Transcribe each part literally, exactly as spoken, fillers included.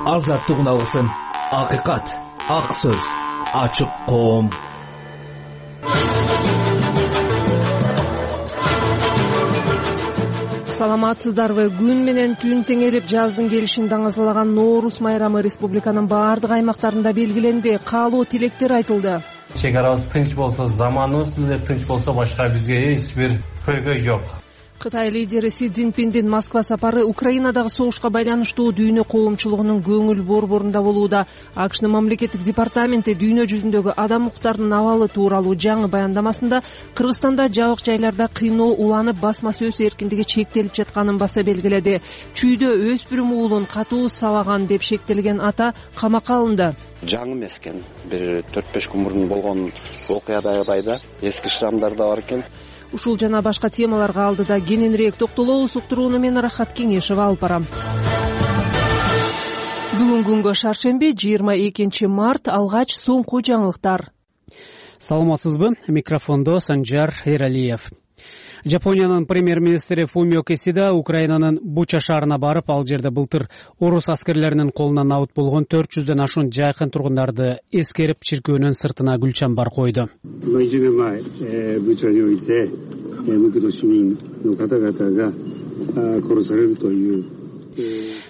азаттыгын алсын. Акыйкат, ак сөз, ачык коом. Саламатсыздарбы? Күн менен түн теңелип жаздын келишин даңазалаган Ноорус майрамы республиканын баардык аймактарында белгиленди. Каалоо тилектер айтылды. Чек арабыз тынч болсо, заманыбыз эле тынч болсо, башка бизге эч бир көйгөй жок. Кытай лидери Си Цзиньпиндин Москва сапары Украинадагы согушка байланыштуу дүйнө коомчулугунун көңүл борборунда болууда. АКШнын мамлекеттик департаменти дүйнө жүзүндөгү адам укуктарынын абалы тууралуу жаңы баяндамасында Кыргызстанда жабык жайларда кыйноо уланып, басма сөз эркиндиги чектелип жатканын баса белгиледи. Чүйдө өспүрүм уулун катуу сабаган деп шектелген ата камакка алынды. Жаңы эмес экен. Бир төрт беш күн мурун болгон окуядагыдай эски шрамдар да бар экен. Ушул жана башка темаларга алдыда кененирээк токтолобуз. Уктурууну мен Рахат Кеңешева алып барам. Бүгүн күнгө шаршемби, жыйырма экинчи март. Алгач соңку жаңылыктар. Саламатсызбы? Микрофондо Санжар Эралиев. Жапониянын премьер-министри Фумио Кисида Украинанын Буча шаарына барып, ал жерде былтыр орус аскерлеринин колунан абыт болгон төрт жүздөн ашуун жайкын тургундарды эскерип, чиркөөнүн сыртына гүл чамбар койду.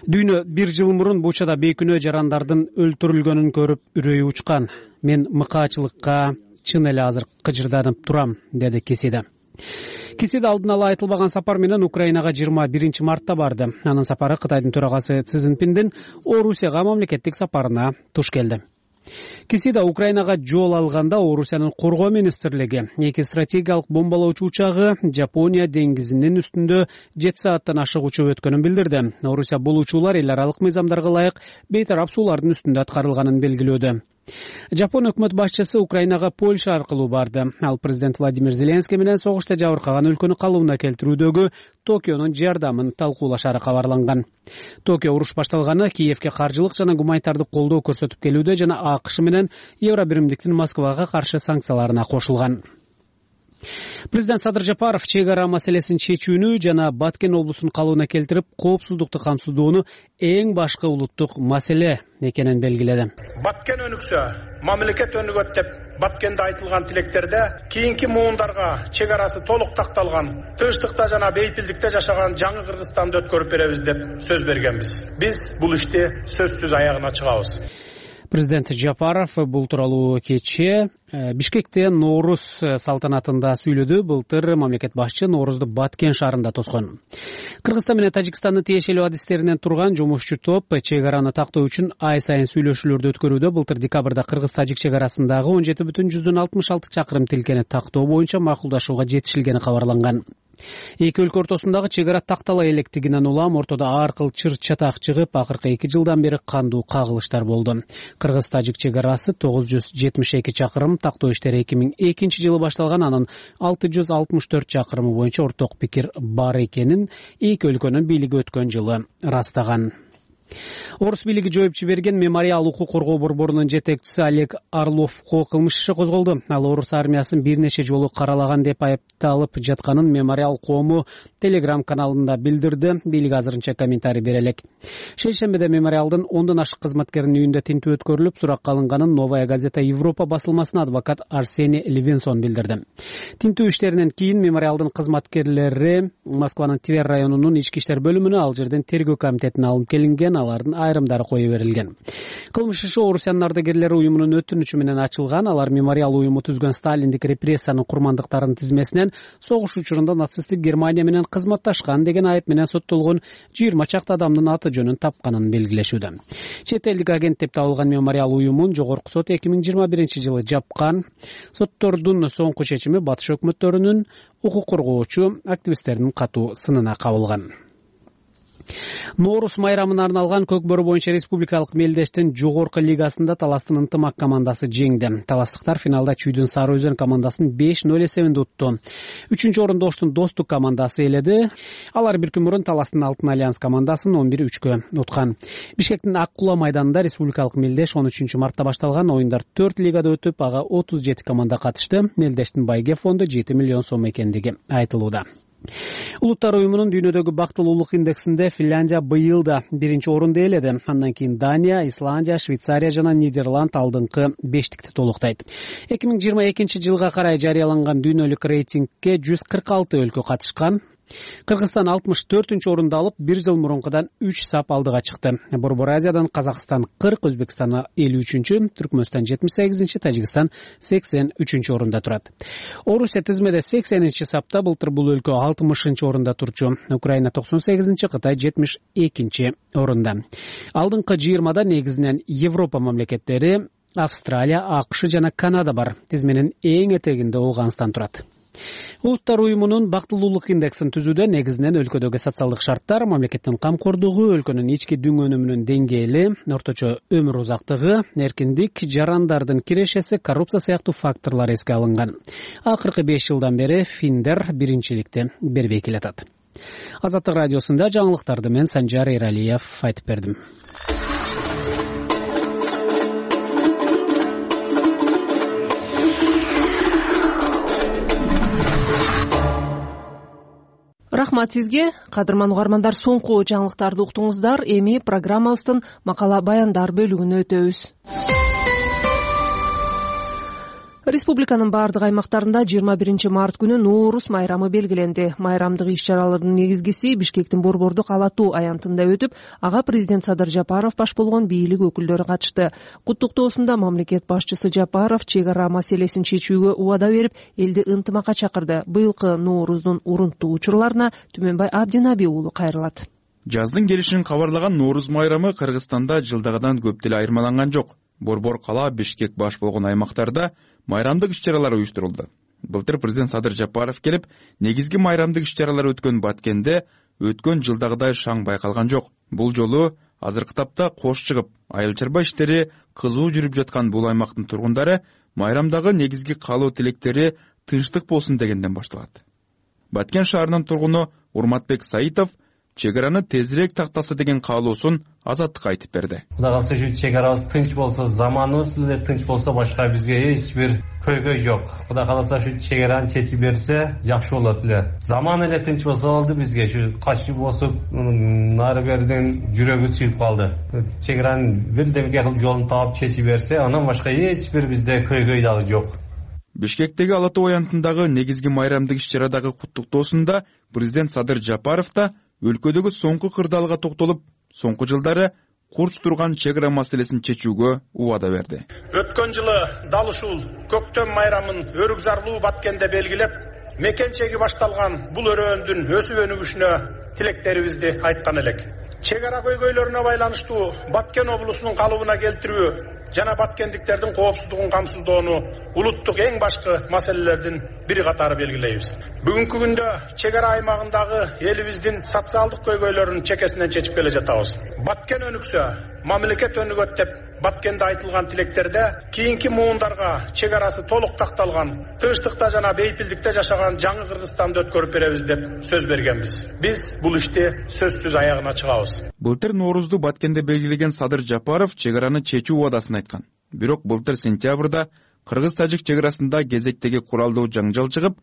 Дүйнө бир жыл мурун Бучада бейкүнөө жарандардын өлтүрүлгөнүн көрүп үрөйү учкан. Мен мыкаачылыкка чын эле азыр кыжырданып турам, деди Кисида. Кисида алдын ала айтылбаган сапар менен Украинага жыйырма биринчи мартта барды. Анын сапары Кытайдын төрагасы Си Цзиньпиндин Орусияга мамлекеттик сапарына туш келди. Кисида Украинага жол алганда Орусиянын коргоо министрлиги эки стратегиялык бомбалоочу учагы Жапония деңгизинин үстүндө жети сааттан ашык учуп өткөнүн билдирди. Орусия бул учуулар эл аралык мыйзамдарга ылайык бейтарап суулардын үстүндө аткарылганын белгилөөдө. Жапон өкмөт башчысы Украинага Польша аркылуу барды. Ал президент Владимир Зеленский менен согушта жабыркаган өлкөнү калыбына келтирүүдөгү Токионун жардамын талкуулашары кабарланган. Токио уруш башталганы Киевке каржылык жана гуманитардык колдоо көрсөтүп келүүдө жана АКШ менен Евробиримдиктин Москвага каршы санкцияларына кошулган. Президент Садыр Жапаров чек ара маселесин чечүүнү жана Баткен облусун калыбына келтирип, коопсуздукту камсыздоону эң башкы улуттук маселе экенин белгиледи. Баткен өнүксө, мамлекет өнүгөт деп Баткенде айтылган тилектерде кийинки муундарга чек арасы толук такталган, тынчтыкта жана бейпилдикте жашаган жаңы Кыргызстанды өткөрүп беребиз деп сөз бергенбиз. Биз бул ишти сөзсүз аягына чыгабыз. Президент Жапаров бул тууралуу кечээ Бишкекте Ноорус салтанатында сүйлөдү. Былтыр мамлекет башчы Ноорузду Баткен шаарында тоскон. Кыргызстан менен Тажикстандын тиешелүү адистеринен турган жумушчу топ чек араны тактоо үчүн ай сайын сүйлөшүүлөрдү өткөрүүдө. Былтыр декабрда Кыргыз-Тажик чек арасындагы он жети бүтүн жүздөн алтымыш алты чакырым тилкени тактоо боюнча макулдашууга жетишилгени кабарланган. Эки өлкө ортосундагы чек ара тактала электигинен улам ортодо ар кыл чыр чатак чыгып, акыркы эки жылдан бери кандуу кагылыштар болду. Кыргыз-Тажик чек арасы тогуз жүз жетимиш эки чакырым, тактоо иштери эки миң экинчи жылы башталган. Анын алты жүз алтымыш төрт чакырымы боюнча орток пикир бар экенин эки өлкөнүн бийлиги өткөн жылы ырастаган. Орус бийлиги жоюп жиберген мемориал укук коргоо борборунун жетекчиси Олег Орловго кылмыш иши козголду. Ал орус армиясын бир нече жолу каралаган деп айыпталып жатканын мемориал коому Telegram каналында билдирди. Бийлик азырынча комментарий бере элек. Шейшембиде мемориалдын ондон ашык кызматкеринин үйүндө тинтүү өткөрүлүп, суракка алынганын Новая газета Европа басылмасына адвокат Арсений Левинсон билдирди. Тинтүү иштеринен кийин мемориалдын кызматкерлери Москванын Тver районунун ички иштер бөлүмүнө, ал жерден тергөө комитетине алынып келинген. Алардын айрымдары кое берилген. Кылмыш иши Орусиянын ардагерлери уюмунун өтүнүчү менен ачылган. Алар мемориал уюму түзгөн сталиндик репрессиянын курмандыктарынын тизмесинен согуш учурунда нацисттик Германия менен кызматташкан деген айып менен соттолгон жыйырма чакты адамдын аты жөнүн тапканын белгилешүүдө. Чет элдик агент деп табылган мемориал уюмун жогорку сот эки миң жыйырма биринчи жылы жапкан. Соттордун соңку чечими батыш өкмөттөрүнүн укук коргоочу активисттердин катуу сынына кабылган. Ноорус майрамына арналган Көкбөрү боюнча республикалык мелдештин жогорку лигасында Таластын ынтымак командасы жеңди. Таластыктар финалда Чүйдүн Сары Өзөн командасын беш ноль эсебинде утту. Үчүнчү орунду Оштун Достук командасы ээледи. Алар бир күн мурун Таластын Алтын Альянс командасын он бир үчкө уткан. Бишкектин Ак Кула майданында республикалык мелдеш он үчүнчү мартта башталган ойындар төрт лигада өтүп, ага отуз жети команда катышты. Мелдештин байге фонду жети миллион сом экендиги айтылууда. Улуттар уюмунун дүйнөдөгү бактылуулук индексинде Финляндия быйыл да биринчи орунду ээледи. Андан кийин Дания, Исландия, Швейцария жана Нидерланд алдыңкы бештикти толуктайт. эки миң жыйырма экинчи жылга карай жарыяланган дүйнөлүк рейтингке жүз кырк алты өлкө катышкан. Кыргызстан алтымыш төртүнчү орунду алып, бир жыл мурункудан үч сап алдыга чыкты. Борбор Азиядан Казакстан кырк, Өзбекстан элүү үчүнчү, Түркмөнстан жетимиш сегизинчи, Тажикстан сексен үчүнчү орунда турат. Орусия тизмеде сексенинчи сапта, былтыр бул өлкө алтымышынчы орунда турчу. Украина токсон сегизинчи, Кытай жетимиш экинчи орунда. Алдыңкы жыйырмада негизинен Европа мамлекеттери, Австралия, АКШ жана Канада бар. Тизменин эң этегинде Ооганстан турат. Улуттар уюмунун бактылуулук индексин түзүүдө негизинен өлкөдөгү социалдык шарттар, мамлекеттин камкордугу, өлкөнүн ички дүң өнүмүнүн деңгээли, орточо өмүр узактыгы, эркиндик, жарандардын кирешеси, коррупция сыяктуу факторлор эске алынган. Акыркы беш жылдан бери финдер биринчиликти бербей келатат. Азаттык радиосунда жаңылыктарды мен Санжар Эралиев айтып бердим. Рахмат сизге, кадырман угармандар, соңку жаңылыктарды уктуңуздар. Эми программабыздын макала баяндар бөлүгүнө өтөбүз. Республиканын бардык аймактарында жыйырма биринчи март күнү Нооруз майрамы белгиленди. Майрамдык иш-чаралардын негизгиси Бишкектин Борбордук Ала Тоо аянтында өтүп, ага президент Садыр Жапаров баш болгон бийлик өкүлдөрү катышты. Куттуктоосунда мамлекет башчысы Жапаров чек ара маселесин чечүүгө убада берип, элди ынтымакка чакырды. Быйылкы Нооруздун урунттуу учурларына Түмөнбай Абдинаби уулу кайрылат. Жаздын келишин кабарлаган Нооруз майрамы Кыргызстанда жылдагыдан көп деле айырмаланган жок. Борбор кала, Бишкек баш болгон аймактарда майрамдык иш-чаралар уюштурулду. Былтыр президент Садыр Жапаров келип, негизги майрамдык иш-чаралар өткөн Баткенде өткөн жылдагыдай шаң байкалган жок. Бул жолу азыркы тапта кош чыгып, айыл чарба иштери кызуу жүрүп жаткан бул аймактын тургундары майрамдагы негизги каалоо тилектери тынчтык болсун дегенден башталат. Баткен шаарынын тургуну Урматбек Саитов чек араны тезирээк тактаса деген каалоосун Азаттыкка айтып берди. Кудай калса ушу чек арабыз тынч болсо, заманыбыз эле тынч болсо, башка бизге эч бир көйгөй жок. Кудай калса ушу чек араны чечип берсе, жакшы болот эле. Заман эле тынч болсо болду бизге. Ушу качып босуп, нары берден жүрөгү сүйүп калды. Чек аранын бирдемке кылып жолун таап чечип берсе, анан башка эч бир бизде көйгөй дагы жок. Бишкектеги Ала Тоо аянтындагы негизги майрамдык иш-чарадагы куттуктоосунда президент Садыр Жапаров да өлкөдөгү соңку кырдаалга токтолуп, соңку жылдары курч турган чек ара маселесин чечүүгө убада берди. Өткөн жылы дал ушул көктөм майрамын өрүк зарлуу Баткенде белгилеп, мекенчеги башталган бул өрөөндүн өсүп өнүгүшүнө тилектерибизди айткан элек. Чек ара көйгөйлөрүнө байланыштуу Баткен облусунун калыбына келтирүү жана баткендиктердин коопсуздугун камсыздоону улуттук эң башкы маселелердин бири катары белгилейбиз. Бүгүнкү күндө чек ара аймагындагы элибиздин социалдык көйгөйлөрүн чекесинен чечип келе жатабыз. Баткен өнүксө, мамлекет өнүгөт деп Баткенде айтылган тилектерде кийинки муундарга чек арасы толук такталган, тынчтыкта жана бейпилдикте жашаган жаңы Кыргызстанды өткөрүп беребиз деп сөз бергенбиз. Биз бул ишти сөзсүз аягына чыгабыз. Былтыр Ноорузду Баткенде белгилеген Садыр Жапаров чек араны чечүү убадасын айткан. Бирок былтыр сентябрда Кыргыз-Тажик чек арасында кезектеги куралдуу жаңжал чыгып,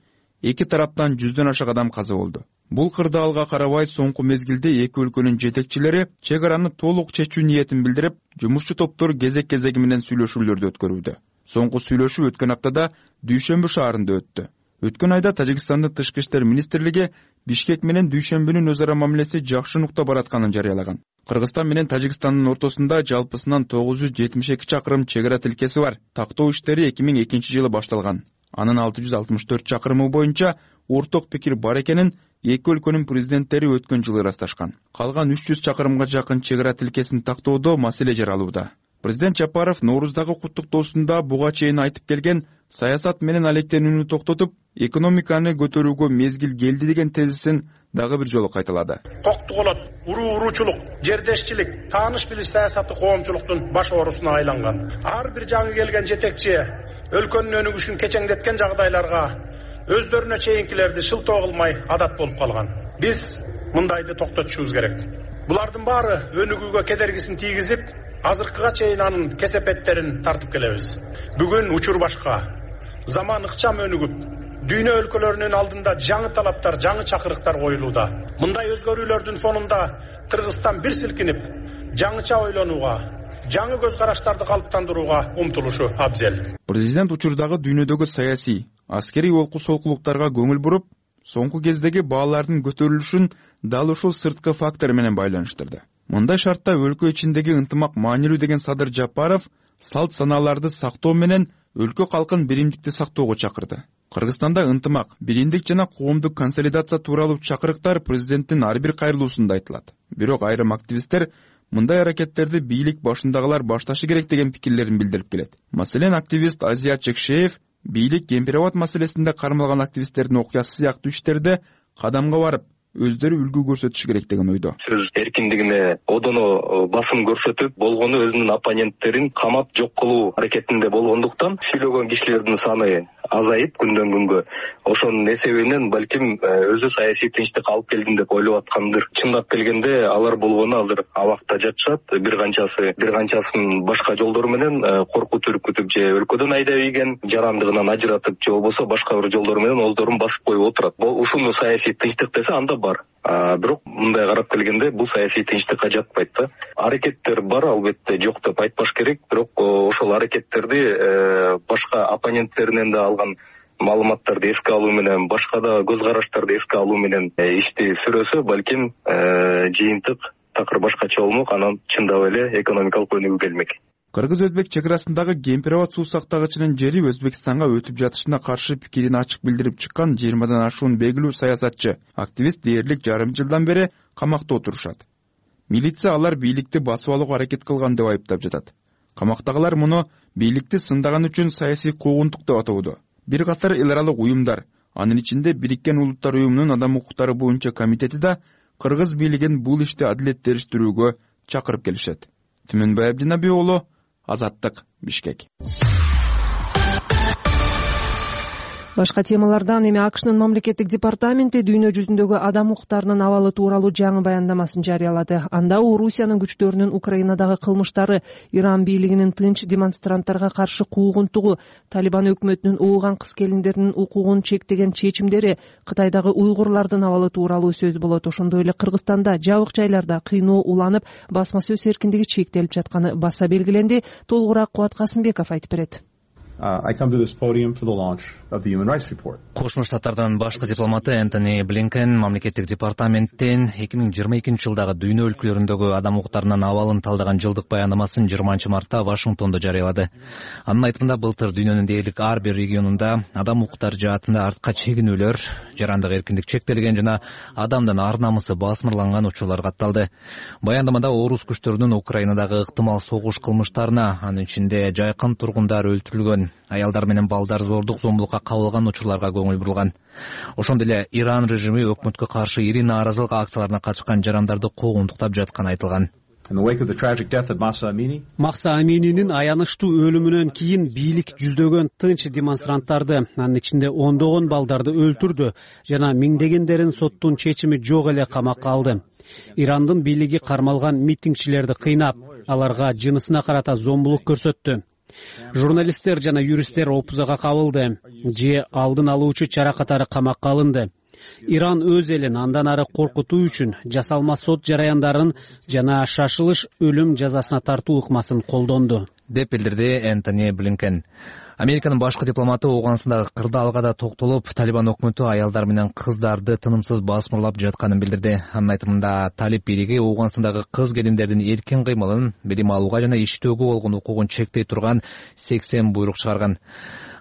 эки тараптан жүздөн ашык адам каза болду. Бул кырдаалга карабай соңку мезгилде эки өлкөнүн жетекчилери чек араны толук чечүү ниетин билдирип, жумушчу топтор кезек-кезеги менен сүйлөшүүлөрдү өткөрүүдө. Соңку сүйлөшүү өткөн аптада Дүйшөмбү шаарында өттү. Өткөн айда Тажикстандын тышкы иштер министрлиги Бишкек менен Дүйшөмбүнүн өз ара мамилеси жакшы нукта баратканын жарыялаган. Кыргызстан менен Тажикстандын ортосунда жалпысынан тогуз жүз жетимиш эки чакырым чек ара тилкеси бар. Тактоо иштери эки миң экинчи жылы башталган. Анын алты жүз алтымыш төрт чакырымы боюнча орток пикир бар экенин эки өлкөнүн президенттери өткөн жылы ырасташкан. Калган үч жүз чакырымга жакын чек ара тилкесин тактоодо маселе жаралууда. Президент Жапаров Норуздагы куттуктоосунда буга чейин айтып келген саясат менен алектенүүнү токтотуп, экономиканы көтөрүүгө мезгил келди деген тезисин дагы бир жолу кайталады. Коктуголот, уруу-уруучулук, жердешчилик, тааныш билиш саясаты коомчулуктун баш оорусуна айланган. Ар бир жаңы келген жетекчи өлкөнүн өнүгүшүн кечеңдеткен жагдайларга өздөрүнө чейинкилерди шылтоо кылмай адат болуп калган. Биз мындайды токтотушубуз керек. Булардын баары өнүгүүгө кедергисин тийгизип, азыркыга чейин анын кесепеттерин тартып келебиз. Бүгүн учур башка. Заман ыкчам өнүгүп, дүйнө өлкөлөрүнүн алдында жаңы талаптар, жаңы чакырыктар коюлууда. Мындай өзгөрүүлөрдүн фонунда Кыргызстан бир силкинип, жаңыча ойлонууга, жаңы көз караштарды калыптандырууга умтулушу абзел. Президент учурдагы дүйнөдөгү саясий, аскерий олку солкулуктарга көңүл буруп, соңку кездеги баалардын көтөрүлүшүн дал ушул сырткы фактор менен байланыштырды. Мындай шартта өлкө ичиндеги ынтымак маанилүү деген Садыр Жапаров салт санааларды сактоо менен өлкө калкын биримдикти сактоого чакырды. Кыргызстанда ынтымак, биримдик жана коомдук консолидация тууралуу чакырыктар президенттин ар бир кайрылуусунда айтылат. Бирок айрым активисттер мындай аракеттерди бийлик башындагылар башташы керек деген пикирлерин билдирип келет. Маселен, активист Азия Чекшеев бийлик Кемпирабад маселесинде кармалган активисттердин окуясы сыяктуу иштерде кадамга барып, өздөрү үлгү көрсөтүш керек деген ойдо. Сөз эркиндигине одоно басым көрсөтүп, болгону өзүнүн оппоненттерин камап жок кылуу аракетинде болгондуктан сүйлөгөн кишилердин саны азайып күндөн күнгө. Ошонун эсебинен балким өзү саясий тынчтык алып келдим деп ойлоп аткандыр. Чындап келгенде алар болгону азыр абакта жатышат. Бир канчасы, бир канчасын башка жолдор менен коркут үркүтүп же өлкөдөн айдап ийген, жарандыгынан ажыратып же болбосо башка бир жолдор менен оздорун басып коюп отурат. Бул ушуну саясий тынчтык десе анда бар. А бирок мындай карап келгенде бул саясий тынчтыкка жатпайт да. Аракеттер бар, албетте, жок деп айтпаш керек, бирок ошол аракеттерди башка оппоненттеринен да алган маалыматтарды эске алуу менен, башка да көз караштарды эске алуу менен ишти сүрөсө, балким жыйынтык такыр башкача болмок, анан чындап эле экономикалык өнүгүү келмек. Кыргыз-Өзбек чек арасындагы Кемпирабад суу сактагычынын жери Өзбекстанга өтүп жатышына каршы пикирин ачык билдирип чыккан жыйырмадан ашуун белгилүү саясатчы, активист дээрлик жарым жылдан бери камакта отурушат. Милиция алар бийликти басып алууга аракет кылган деп айыптап жатат. Камактагылар муну бийликти сындаган үчүн саясий куугунтук деп атоодо. Бир катар эл аралык уюмдар, анын ичинде Бириккен Улуттар уюмунун адам укуктары боюнча комитети да кыргыз бийлигин бул ишти адилеттештирүүгө чакырып келишет. Түмөнбай Абдинаби уулу, Азаттык, Бишкек. Башка темалардан эми АКШнын мамлекеттик департаменти дүйнө жүзүндөгү адам укуктарынын абалы тууралуу жаңы баяндамасын жарыялады. Анда Орусиянын күчтөрүнүн Украинадагы кылмыштары, Иран бийлигинин тынч демонстранттарга каршы куугунтугу, Талибан өкмөтүнүн ууган кыз-келиндердин укугун чектеген чечимдери, Кытайдагы уйгурлардын абалы тууралуу сөз болот. Ошондой эле Кыргызстанда жабык жайларда кыйноо уланып, басма сөз эркиндиги чектелип жатканы баса белгиленди. Толугураак Кубат Касымбеков айтып берет. I come to this podium for the launch of the Human Rights Report. Кошмо Штаттардын башкы дипломаты Энтони Блинкен мамлекеттик департаменттен эки миң жыйырма экинчи жылдагы дүйнө өлкөлөрүндөгү адам укуктарынын абалын талдаган жылдык баяндамасын жыйырманчы мартта Вашингтондо жарыялады. Анын айтымында былтыр дүйнөнүн дээрлик ар бир регионунда адам укуктары жаатында артка чегинүүлөр, жарандык эркиндик чектелген жана адамдын ар намысы басмырланган учурлар катталды. Баяндамада орус күчтөрүнүн Украинадагы ыктымал согуш кылмыштарына, анын ичинде жайкын тургундар өлтүрүлгөн, аялдар менен балдар зордук зомбулукка кабылган учурларга көңүл бурулган. Ошондой эле Иран режими өкмөткө каршы ири нааразылык акцияларына катышкан жарандарды куугунтуктап жатканы айтылган. Махса Амининин аянычтуу өлүмүнөн кийин бийлик жүздөгөн тынч демонстранттарды, анын ичинде ондогон балдарды өлтүрдү жана миңдегендерин соттун чечими жок эле камакка алды. Ирандын бийлиги кармалган митингчилерди кыйнап, аларга жынысына карата зомбулук көрсөттү. Журналисттер жана юристтер опузага кабылды, же алдын алуучу чара катары камакка алынды. Иран өз элин андан ары коркутуу үчүн жасалма сот жараяндарын жана шашылыш өлүм жазасына тартуу ыкмасын колдонду, деп билдирди Энтони Блинкен. Американын башкы дипломаты Ооганстандагы кырдаалга да токтолуп, Талибан өкмөтү аялдар менен кыздарды тынымсыз басмырлап жатканын билдирди. Анын айтымында Талиб бийлиги Ооганстандагы кыз-келиндердин эркин кыймылын, билим алууга жана иштөөгө болгон укугун чектей турган сексен буйрук чыгарган.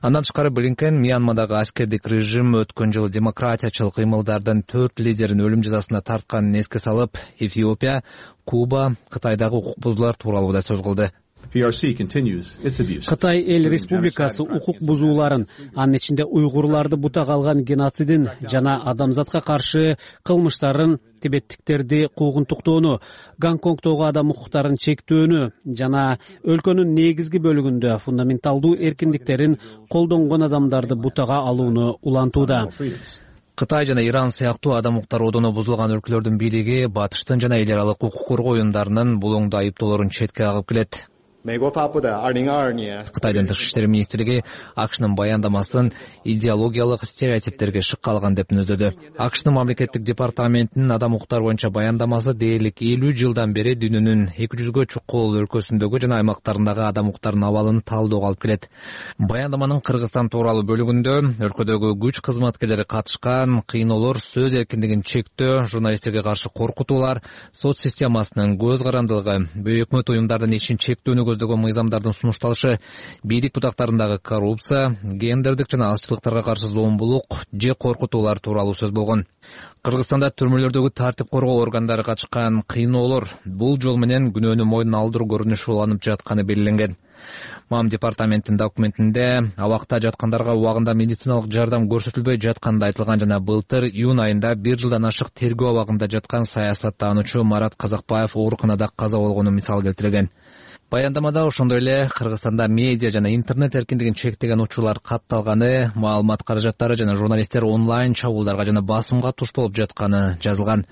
Андан тышкары Блинкен Мьянмадагы аскердик режим өткөн жылы демократиячыл кыймылдардын төрт лидерин өлүм жазасына тартканын эске салып, Эфиопия, Куба, Кытайдагы укук бузуулар тууралуу да сөз кылды. Кытай эл республикасы укук бузууларын, анын ичинде уйгурларды бутак алган геноцидин жана адамзатка каршы кылмыштарын, тибеттиктерди куугунтуктоону, Гонконгдогу адам укуктарын чектөөнү жана өлкөнүн негизги бөлүгүндө фундаменталдуу эркиндиктерин колдонгон адамдарды бутага алууну улантууда. Кытай жана Иран сыяктуу адам укуктары одону бузулган өлкөлөрдүн бийлиги батыштын жана эл аралык укук коргоо уюмдарынын бул оңдо айыптоолорун четке кагып келет. Кытайдын тышкы иштер министрлиги АКШнын баяндамасын идеологиялык стереотиптерге шыккалган деп мүнөздөдү. АКШнын мамлекеттик департаментинин адам укуктары боюнча баяндамасы дээрлик элүү жылдан бери дүйнөнүн эки жүзгө чукул өлкөсүндөгү жана аймактарындагы адам укуктарынын абалын талоого алып келет. Баяндаманын Кыргызстан тууралуу бөлүгүндө өлкөдөгү күч кызматкерлери катышкан кыйноолор, сөз эркиндигин чектөө, журналисттерге каршы коркутуулар, сот системасынын көз карандылыгы, өкмөт уюмдардын ишин чектөөнү көздөгөн мыйзамдардын сунушталышы, бийлик бутактарындагы коррупция, гендердик жана азчылыктарга каршы зомбулук же коркутуулар тууралуу сөз болгон. Кыргызстанда түрмөлөрдөгү тартип коргоо органдары катышкан кыйноолор бул жол менен күнөөнү мойнуна алдыруу көрүнүшү уланып жатканы белгиленген. МАМ департаментинин документинде абакта жаткандарга убагында медициналык жардам көрсөтүлбөй жатканы айтылган жана былтыр июнь айында бир жылдан ашык тергөө абагында жаткан саясаттануучу Марат Казакбаев ооруканада каза болгону мисал келтирилген. Баяндамада ошондой эле Кыргызстанда медиа жана интернет эркиндигин чектеген учурлар катталганы, маалымат каражаттары жана журналисттер онлайн чабуулдарга жана басымга туш болуп жатканы жазылган.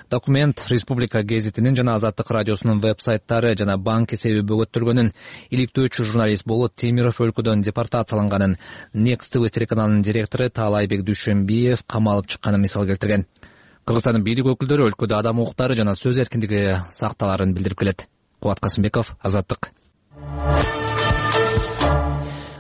Документ Республика гезитинин жана Азаттык радиосунун веб-сайттары жана банк эсеби бөгөттөлгөнүн, иликтөөчү журналист Болот Темиров өлкөдөн депортацияланганын, Next ти ви телеканалынын директору Таалайбек Дүйшөнбиев камалып чыкканын мисал келтирген. Кыргызстандын бийлик өкүлдөрү өлкөдө адам укуктары жана сөз эркиндиги сакталарын билдирип келет. Кубат Касымбеков, Азаттык.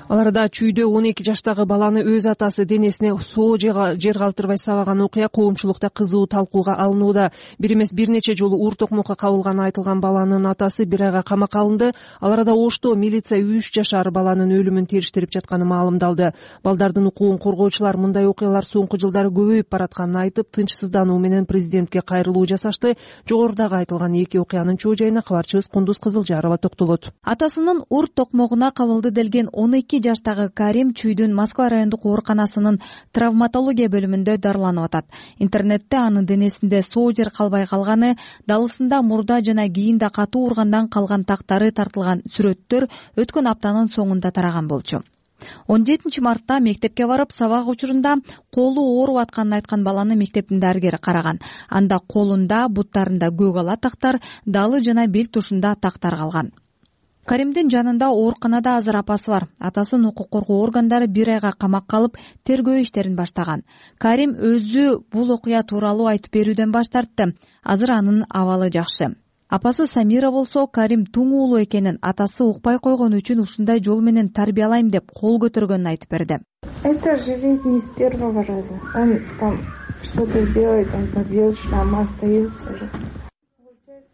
Аларда Чүйдө он эки жаштагы баланы өз атасы денесине соо жер калтырбай сабаган окуя коомчулукта кызуу талкууга алынууда. Бир эмес бир нече жолу уур токмокко кабылганы айтылган баланын атасы бир айга камакка алынды. Ал арада Ошто милиция үч жашар баланын өлүмүн териштирип жатканы маалымдалды. Балдардын укугун коргоочулар мындай окуялар соңку жылдары көбөйүп баратканын айтып, тынчсыздануу менен президентке кайрылуу жасашты. Жогорудагы айтылган эки окуянын чоо жайына кабарчыбыз Кундуз Кызылжарова токтолот. Атасынын уур токмогуна кабылды делген он эки жаштагы Карим Чүйдүн Москва райондук ооруканасынын травматология бөлүмүндө дарыланып атат. Интернетте анын денесинде соо жер калбай калганы, далысында мурда жана кийинде катуу ургандан калган тактары тартылган сүрөттөр өткөн аптанын соңунда тараган болчу. он жетинчи мартта мектепке барып, сабак учурунда колу ооруп атканын айткан баланы мектептин дарыгери караган. Анда колунда, буттарында көк ала тактар, далы жана бел тушунда тактар калган. Каримдин жанында ооруканада азыр апасы бар. Атасын укук коргоо органдары бир айга камакка алып, тергөө иштерин баштаган. Карим өзү бул окуя тууралуу айтып берүүдөн баш тартты. Азыр анын абалы жакшы. Апасы Самира болсо, Карим туң уулу экенин, атасы укпай койгон үчүн ушундай жол менен тарбиялайм деп кол көтөргөнүн айтып берди. Это же ведь не с первого раза. Он там что-то сделает, он побьет, мама остается же.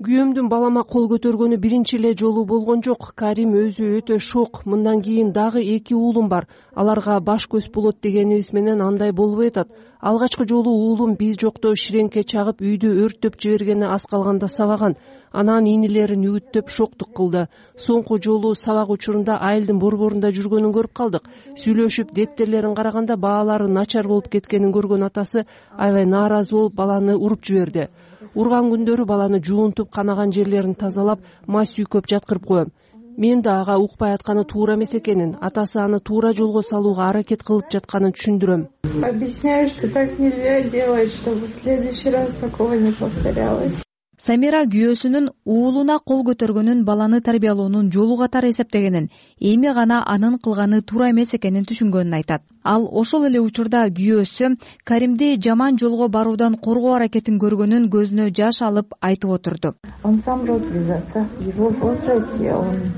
Күйөөмдүн балама кол көтөргөнү биринчи эле жолу болгон жок. Карим өзү өтө шок. Мындан кийин дагы эки уулум бар. Аларга баш көз болот дегенибиз менен андай болбой атат. Алгачкы жолу уулум биз жокто ширеңке чагып үйдү өрттөп жибергени аз калганда сабаган. Анан инилерин үгүттөп шоктук кылды. Соңку жолу сабак учурунда айылдын борборунда жүргөнүн көрүп калдык. Сүйлөшүп дептерлерин караганда баалары начар болуп кеткенин көргөн атасы аябай нааразы болуп баланы уруп жиберди. Урган күндөрү баланы жуунтуп, канаган жерлерин тазалап, май сүйкөп жаткырып коем. Мен да ага укпай атканы туура эмес экенин, атасы аны туура жолго салууга аракет кылып жатканын түшүндүрөм. Объясняю, что так нельзя делать, чтобы в следующий раз такого не повторялось. Самира күйөөсүнүн уулуна кол көтөргөнүн баланы тарбиялоонун жолу катары эсептегенин, эми гана анын кылганы туура эмес экенин түшүнгөнүн айтат. Ал ошол эле учурда күйөөсү Каримди жаман жолго баруудан коргоо аракетин көргөнүн көзүнө жаш алып айтып отурду. Он сам рос без отца. В его возрасте он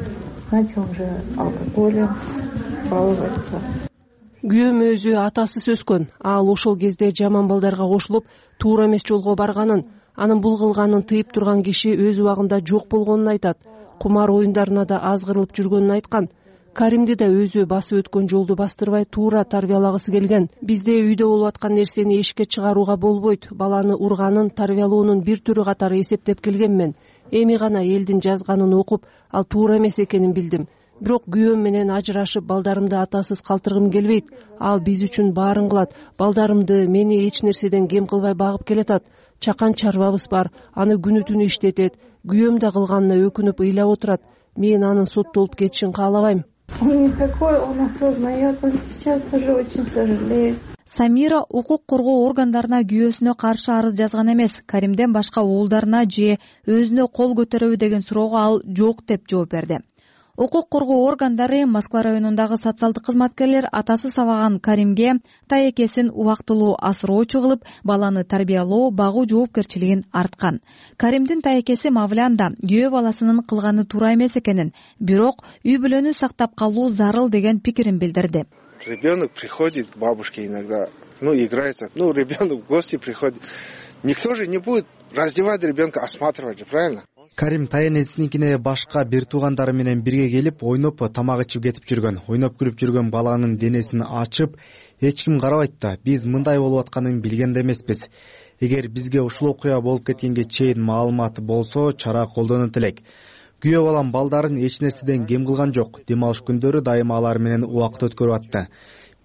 начал уже алкоголем баловаться. Күйөөм өзү атасыз өскөн. Ал ошол кезде жаман балдарга кошулуп, туура эмес жолго барганын, анын бул кылганын тыйып турган киши өз убагында жок болгонун айтат. Кумар оюндарына да аз кырылып жүргөнүн айткан. Каримди да өзү басып өткөн жолду бастырбай туура тарбиялагысы келген. Бизде үйдө болуп аткан нерсени эшикке чыгарууга болбойт. Баланы урганын, тарбиялоонун бир түрү катары эсептеп келгенмен. Эми гана элдин жазганын окуп, ал туура эмес экенин билдим. Бирок күйөөм менен ажырашып, балдарымды атасыз калтыргым келбейт. Ал биз үчүн баарын кылат. Балдарымды, мени эч нерседен кем кылбай багып келатат. Чакан чарбабыз бар, аны күнү түнү иштетет. Күйөөм да кылганына өкүнүп ыйлап отурат. Мен анын соттолуп кетишин каалабайм. Он не такой, он осознает, он сейчас тоже очень сожалеет. Самира укук коргоо органдарына күйөөсүнө каршы арыз жазган эмес. Каримден башка уулдарына же өзүнө кол көтөрөбү деген суроого ал жок деп жооп берди. Укук коргоо органдары Москва районундагы социалдык кызматкерлер атасы сабаган Каримге таекесин убактылуу асыроочу кылып, баланы тарбиялоо, багуу жоопкерчилигин арткан. Каримдин таекеси Мавлян да күйөө баласынын кылганы туура эмес экенин, бирок үй бүлөнү сактап калуу зарыл деген пикирин билдирди. Ребенок приходит к бабушке иногда, ну, играется, ну, ребенок в гости приходит. Никто же не будет раздевать ребенка, осматривать же, правильно? Карим таенесиникине башка бир туугандары менен бирге келип, ойноп, тамак ичип кетип жүргөн. Ойноп күлүп жүргөн баланын денесин ачып, эч ким карабайт да. Биз мындай болуп атканын билген да эмеспиз. Эгер бизге ушул окуя болуп кеткенге чейин маалымат болсо, чара колдонот элек. Күйөө балам балдарын эч нерседен кем кылган жок. Дем алыш күндөрү дайыма алар менен убакыт өткөрүп атты.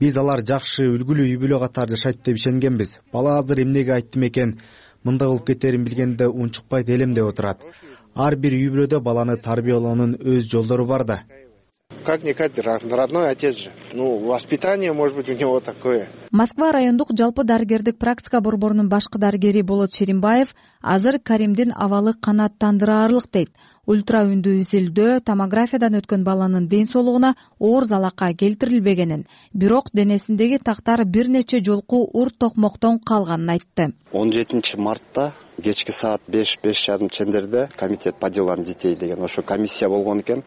Биз алар жакшы, үлгүлүү үй бүлө катары жашайт деп ишенгенбиз. Бала азыр эмнеге айттым экен, мындай болуп кетерин билгенде унчукпайт элем деп отурат. Ар бир үй бүлөдө баланы тарбиялоонун өз жолдору бар да. Как-никак родной отец же. Ну, воспитание, может быть, у него такое. Москва райондук жалпы дарыгердик практика борборунун башкы дарыгери Болот Шеримбаев азыр Каримдин абалы канааттандыраарлык дейт. Ультра үндүү изилдөө томографиядан өткөн баланын ден соолугуна оор залакка келтирилбегенин, бирок денесиндеги тактар бир нече жолку урт токмоктон калганын айтты. он жетинчи мартта кечки саат беш беш жарым чендерде комитет по делам детей деген ошо комиссия болгон экен.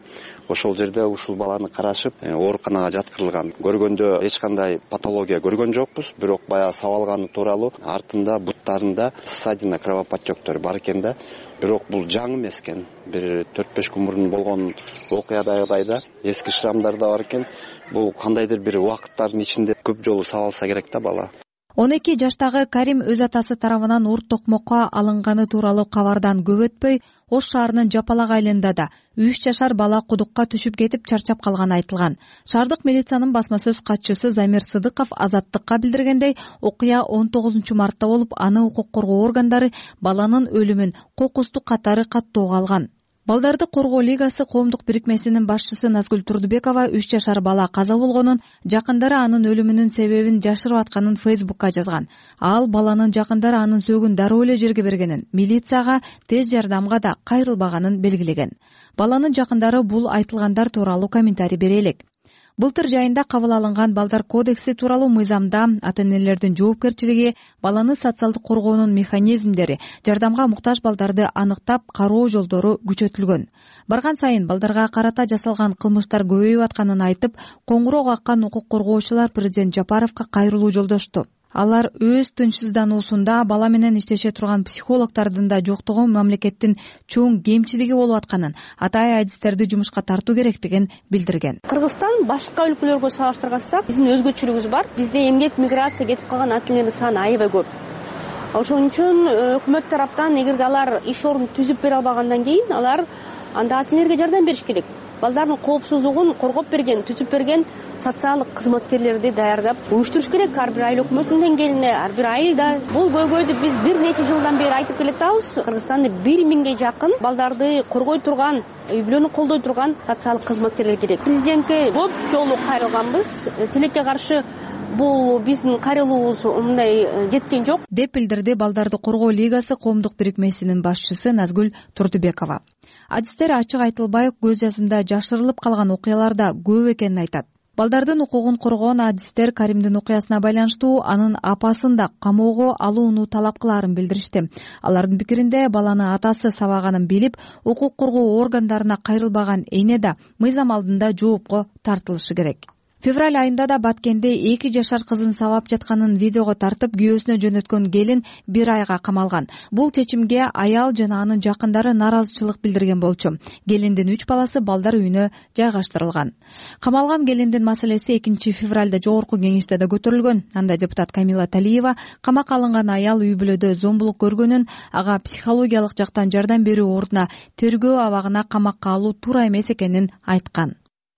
Ошол жерде ушул баланы карашып, ооруканага жаткырылган. Көргөндө эч кандай патология көргөн жокпуз, бирок баягы сабалганы тууралуу артында буттарында ссадина, кровоподтёктор бар экен да. Бирок бул жаңы эмес экен. Бир төрт беш күн мурун болгон окуядагыдай эски шрамдар да бар экен. Бул кандайдыр бир убакыттардын ичинде көп жолу сабалса керек да бала. он эки жаштагы Карим өз атасы тарабынан урт токмокко алынганы тууралуу кабардан көп өтпөй, Ош шаарынын Жапалак айылында да үч жашар бала кудукка түшүп кетип чарчап калганы айтылган. Шаардык милициянын басма сөз катчысы Замир Сыдыков Азаттыкка билдиргендей, окуя он тогузунчу мартта болуп, аны укук коргоо органдары баланын өлүмүн кокустук катары каттоого алган. Балдарды коргоо лигасы коомдук бирикмесинин башчысы Назгүл Турдубекова үч жашар бала каза болгонун, жакындары анын өлүмүнүн себебин жашырып атканын Фейсбукка жазган. Ал баланын жакындары анын сөөгүн дароо эле жерге бергенин, милицияга, тез жардамга да кайрылбаганын белгилеген. Баланын жакындары бул айтылгандар тууралуу комментарий бере элек. Былтыр жайында кабыл алынган Балдар кодекси тууралуу мыйзамда ата-энелердин жоопкерчилиги, баланы социалдык коргоонун механизмдери, жардамга муктаж балдарды аныктап кароо жолдору күчөтүлгөн. Барган сайын балдарга карата жасалган кылмыштар көбөйүп атканын айтып, коңгуроо каккан укук коргоочулар президент Жапаровго кайрылуу жолдошту. Алар өз тынчсыздануусунда бала менен иштеше турган психологдордун да жоктугу мамлекеттин чоң кемчилиги болуп атканын, атайын адистерди жумушка тартуу керектигин билдирген. Кыргызстан башка өлкөлөргө салыштырганда биздин өзгөчөлүгүбүз бар. Бизде эмгек миграция кетип калган ата-энелердин саны аябай көп. Ошон үчүн өкмөт тараптан эгерде алар иш орун түзүп бере албагандан кийин алар анда ата-энелерге жардам бериш керек. Балдардын коопсуздугун коргоп берген, түзүп берген социалдык кызматкерлерди даярдап уюштуруш керек. Ар бир айыл өкмөтүнүн деңгээлинде, ар бир айылда. Бул көйгөйдү биз бир нече жылдан бери айтып келатабыз. Кыргызстанда бир миңге жакын балдарды коргой турган, үй бүлөнү колдой турган социалдык кызматкерлер керек. Президентке көп жолу кайрылганбыз. Тилекке каршы бул биздин кайрылуубуз мындай жеткен жок деп билдирди Балдарды коргоо лигасы коомдук бирикмесинин башчысы Назгүл Турдубекова. Адистер ачык айтылбай көз жазында жашырылып калган окуялар да көп экенин айтат. Балдардын укугун коргоон адистер Каримдин окуясына байланыштуу анын апасын да камоого алууну талап кылаарын билдиришти. Алардын пикиринде баланы атасы сабаганын билип, укук коргоо органдарына кайрылбаган эне да мыйзам алдында жоопко тартылышы керек. Февраль айында да Баткенде эки жашар кызын сабап жатканын видеого тартып, күйөөсүнө жөнөткөн келин бир айга камалган. Бул чечимге аял жана анын жакындары нааразычылык билдирген болчу. Келиндин үч баласы балдар үйүнө жайгаштырылган. Камалган келиндин маселеси экинчи февралда жогорку кеңеште да көтөрүлгөн. Анда депутат Камила Талиева камакка алынган аял үй бүлөдө зомбулук көргөнүн, ага психологиялык жактан жардам берүү ордуна тергөө абагына камакка алуу туура эмес экенин айткан.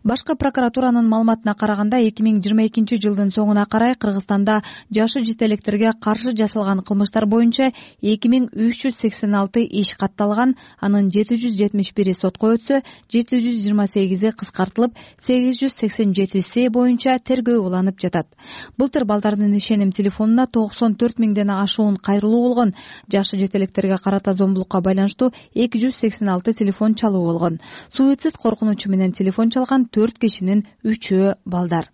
башкы прокуратуранын маалыматына караганда эки миң жыйырма экинчи жылдын соңуна карай Кыргызстанда жашы жетелектерге каршы жасалган кылмыштар боюнча эки миң үч жүз сексен алты иш катталган, анын жети жүз жетимиш бири сотко өтсө, жети жүз жыйырма сегизи кыскартылып, сегиз жүз сексен жетиси боюнча тергөө уланып жатат. Былтыр балдардын ишеним телефонуна токсон төрт миңден ашуун кайрылуу болгон. Жашы жетелектерге карата зомбулукка байланыштуу эки жүз сексен алты телефон чалуу болгон. Суицид коркунучу менен телефон чалган төрт кишинин үчөө балдар.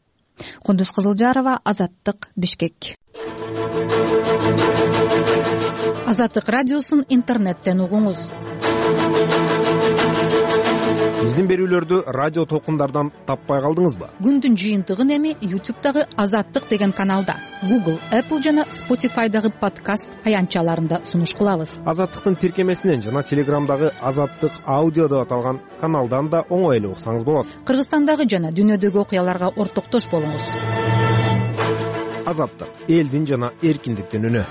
Кундуз Кызылжарова, Азаттык, Бишкек. Азаттык радиосун интернеттен угуңуз. Биздин берүүлөрдү радио толкундардан таппай калдыңызбы? Күндүн жыйынтыгын эми YouTube'дагы Азаттык деген каналда, Google, Apple жана Spotify'дагы подкаст аянтчаларында сунуш кылабыз. Азаттыктын тиркемесинен жана Телеграмдагы Азаттык аудио деп аталган каналдан да оңой эле уксаңыз болот. Кыргызстандагы жана дүйнөдөгү окуяларга ортоктош болуңуз. Азаттык, элдин жана эркиндиктин үнү.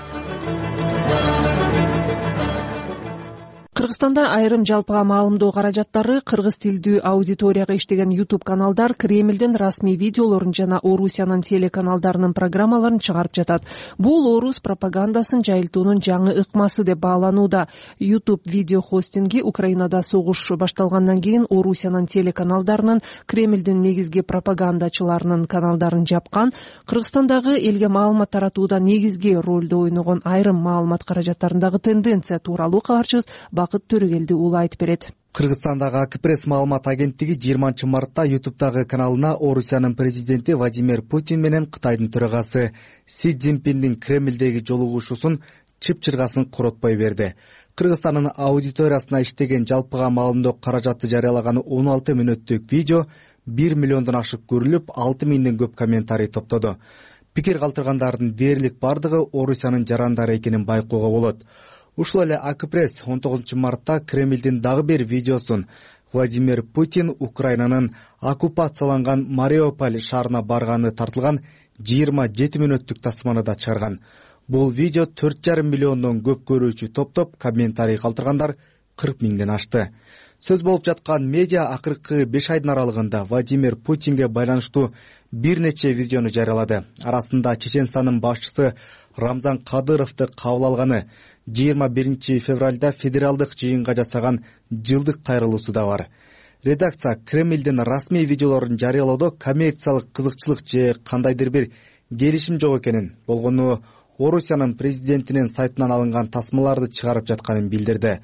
Кыргызстанда айрым жалпыга маалымдоо каражаттары кыргыз тилдүү аудиторияга иштеген YouTube каналдар Кремлдин расмий видеолорун жана Орусиянын телеканалдарынын программаларын чыгарып жатат. Бул орус пропагандасын жайылтуунун жаңы ыкмасы деп бааланууда. YouTube видео хостинги Украинада согуш башталгандан кийин Орусиянын телеканалдарынын Кремлдин негизги пропагандачыларынын каналдарын жапкан. Кыргызстандагы элге маалымат таратууда негизги ролду ойногон айрым маалымат каражаттарындагы тенденция тууралуу кабарчыбыз Бакыт Төрөгелди уулу айтып берет. Кыргызстандагы Акпресс маалымат агенттиги жыйырманчы мартта YouTube'дагы каналына Орусиянын президенти Владимир Путин менен Кытайдын төрагасы Си Цзиньпиндин Кремлдеги жолугушуусун чып-чыргасын коротпой берди. Кыргызстандын аудиториясына иштеген жалпыга маалымдоо каражаты жарыялаган он алты мүнөттүк видео бир миллиондон ашык көрүлүп, алты миңден көп комментарий топтоду. Пикир калтыргандардын дээрлик бардыгы Орусиянын жарандары экенин байкоого болот. Ушул эле Акпресс он тогузунчу мартта Кремлдин дагы бир видеосун Владимир Путин Украинанын оккупацияланган Мариуполь шаарына барганы тартылган жыйырма жети мүнөттүк тасманы да чыгарган. Бул видео төрт жарым миллиондон көп көрүүчү топтоп, комментарий калтыргандар кырк миңден ашты. Сөз болуп жаткан медиа акыркы беш айдын аралыгында Владимир Путинге байланыштуу бир нече видеону жарыялады. Арасында Чеченстандын башчысы Рамзан Кадыровду кабыл алганы, жыйырма биринчи февралда федералдык жыйынга жасаган жылдык кайрылуусу да бар. Редакция Кремлдин расмий видеолорун жарыялоодо коммерциялык кызыкчылык же кандайдыр бир келишим жок экенин, болгону Орусиянын президентинин сайтынан алынган тасмаларды чыгарып жатканын билдирди.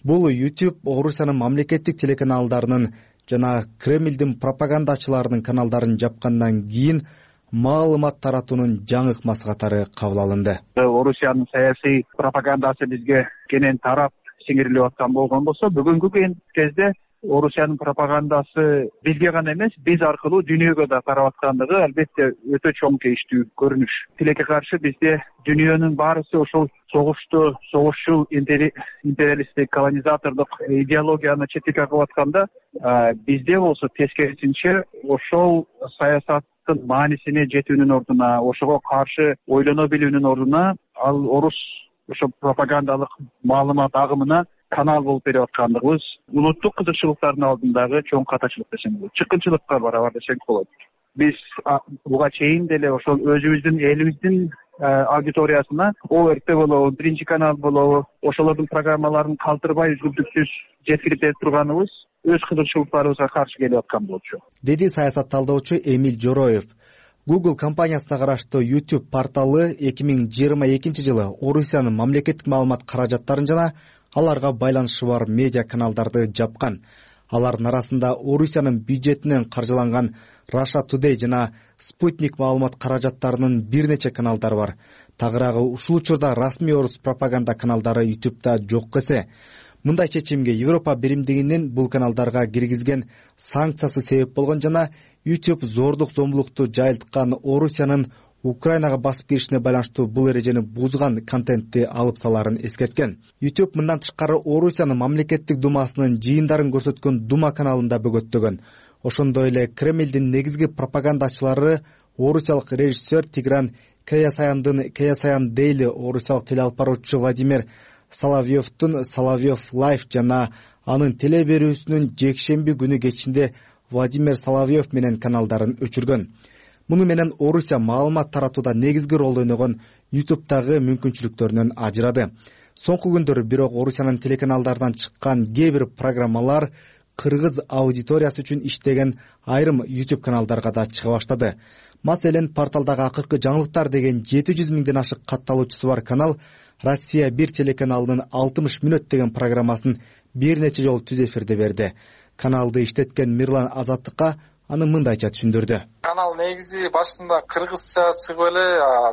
Бул YouTube Орусиянын мамлекеттик телеканалдарынын жана Кремлдин пропагандачыларынын каналдарын жапкандан кийин маалымат таратуунун жаңы ыкмасы катары кабыл алынды. Орусиянын саясий пропагандасы бизге кенен тарап сиңирилип аткан болгон болсо, бүгүнкү кезде Орусиянын пропагандасы бизге гана эмес, биз аркылуу дүйнөгө да тарап аткандыгы албетте өтө чоң тийиштүү көрүнүш. Тилекке каршы бизде дүйнөнүн баарысы ошол согушту, согушчул империалисттик колонизатордук идеологияны четке кагып атканда, бизде болсо тескерисинче ошол саясаттын маанисине жетүүнүн ордуна, ошого каршы ойлоно билүүнүн ордуна ал орус ошо пропагандалык маалымат агымына канал болуп берип аткандыгыбыз улуттук кызыкчылыктардын алдындагы чоң катачылык десем болот, чыккынчылыкка барабар десек болот. Биз буга чейин деле ошол өзүбүздүн элибиздин аудиториясына О Р Т болобу, Биринчи канал болобу, ошолордун программаларын калтырбай үзгүлтүксүз жеткирип берип турганыбыз өз кызыкчылыктарыбызга каршы келип аткан болчу, деди саясат талдоочу Эмиль Жороев. Google компаниясына караштуу YouTube порталы эки миң жыйырма экинчи жылы Орусиянын мамлекеттик маалымат каражаттарын жана аларга байланышы бар медиа каналдарды жапкан. Алардын арасында Орусиянын бюджетинен каржыланган Russia Today жана Sputnik маалымат каражаттарынын бир нече каналдары бар. Тагыраагы ушул учурда расмий орус пропаганда каналдары YouTube'да жок эсе. Мындай чечимге Европа биримдигинин бул каналдарга киргизген санкциясы себеп болгон жана YouTube зордук зомбулукту жайылткан Орусиянын Украинага басып киришине байланыштуу бул эрежени бузган контентти алып саларын эскерткен. YouTube мындан тышкары Орусиянын мамлекеттик думасынын жыйындарын көрсөткөн Дума каналын да бөгөттөгөн. Ошондой эле Кремлдин негизги пропагандачылары орусиялык режиссер Тигран Каясаяндын Каясаян Дейли, орусиялык телеалып баруучу Владимир Соловьевдун Соловьев Лайф жана анын теле берүүсүнүн жекшемби күнү кечинде Владимир Соловьев менен каналдарын өчүргөн. Муну менен Орусия маалымат таратууда негизги ролду ойногон ютубтагы мүмкүнчүлүктөрүнөн ажырады. Соңку күндөрү бирок Орусиянын телеканалдарынан чыккан кээ бир программалар кыргыз аудиториясы үчүн иштеген айрым YouTube каналдарга да чыга баштады. Маселен, порталдагы акыркы жаңылыктар деген жети жүз миңден ашык катталуучусу бар канал Россия бир телеканалынын алтымыш мүнөт деген программасын бир нече жолу түз эфирде берди. Каналды иштеткен Мирлан Азаттыкка аны мындайча түшүндүрдү. Канал негизи башында кыргызча чыгып эле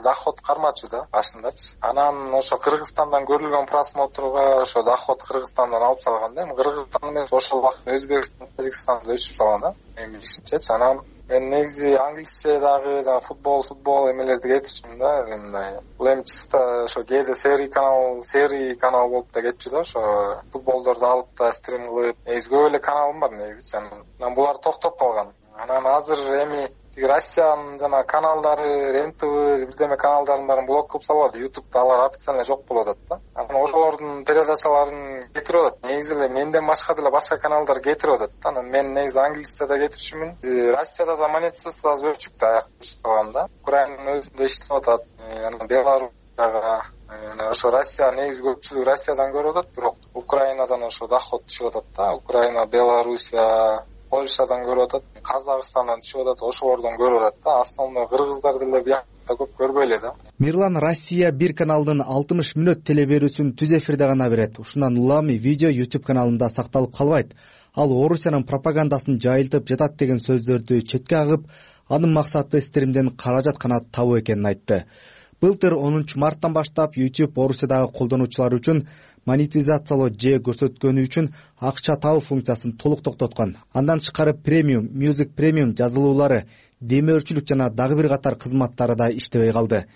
доход кармачу да башындачы. Анан ошо Кыргызстандан көрүлгөн просмотрга ошо доход Кыргызстандан алып салган да. Кыргызстан эмес, ошол убакта Өзбекстан, Тажикстанда өчүп салган да. Мен билишимчечи. Анан мен негизи англисчедагы жана футбол, футбол эмелерди кетирчүмүн да. Мындай. Бул эми чисто ошо кээде серий канал, серий канал болуп да кетчү да. Ошо футболдорду алып да стрим кылып, негизи көп эле каналым бар негизи. Анан булар токтоп калган. Анан азыр эми Россиянын жана каналдары, эн тэ вэ, бирдеме каналдарын баарын блок кылып салып, YouTube'да алар официально жок болуп атат да. Анан ошолордун передачаларын кетирип атат. Негизи эле менден башка деле башка каналдар кетирип атат да. Анан мен негизи англисчеде кетирчүмүн. Россияда да монетизация азыр өчүк да, аяк баштаган да. Украинанын өзүндө иштеп атат. Анан Беларусьтагы ошо Россия негизи көпчүлүгү Россиядан көрүп атат, бирок Украинадан ошо доход түшүп атат да. Украина, Белоруссия, Польшадан көрүп атат, Казакстандан түшүп атат, ошолордон көрүп атат да. Основной кыргыздар деле биякта көп көрбөй эле да. Мирлан Россия бир каналынын алтымыш мүнөт телеберүүсүн түз эфирде гана берет. Ушундан улам видео YouTube каналында сакталып калбайт. Ал Орусиянын пропагандасын жайылтып жатат деген сөздөрдү четке агып, анын максаты стримден каражат гана табуу экенин айтты. Былтыр онунчу марттан баштап YouTube Орусиядагы колдонуучулар үчүн монетизациялоо же көрсөткөнү үчүн акча табуу функциясын толук токтоткон. Андан тышкары премиум, Music премиум жазылуулары, демөөрчүлүк жана дагы бир катар кызматтары да иштебей калды.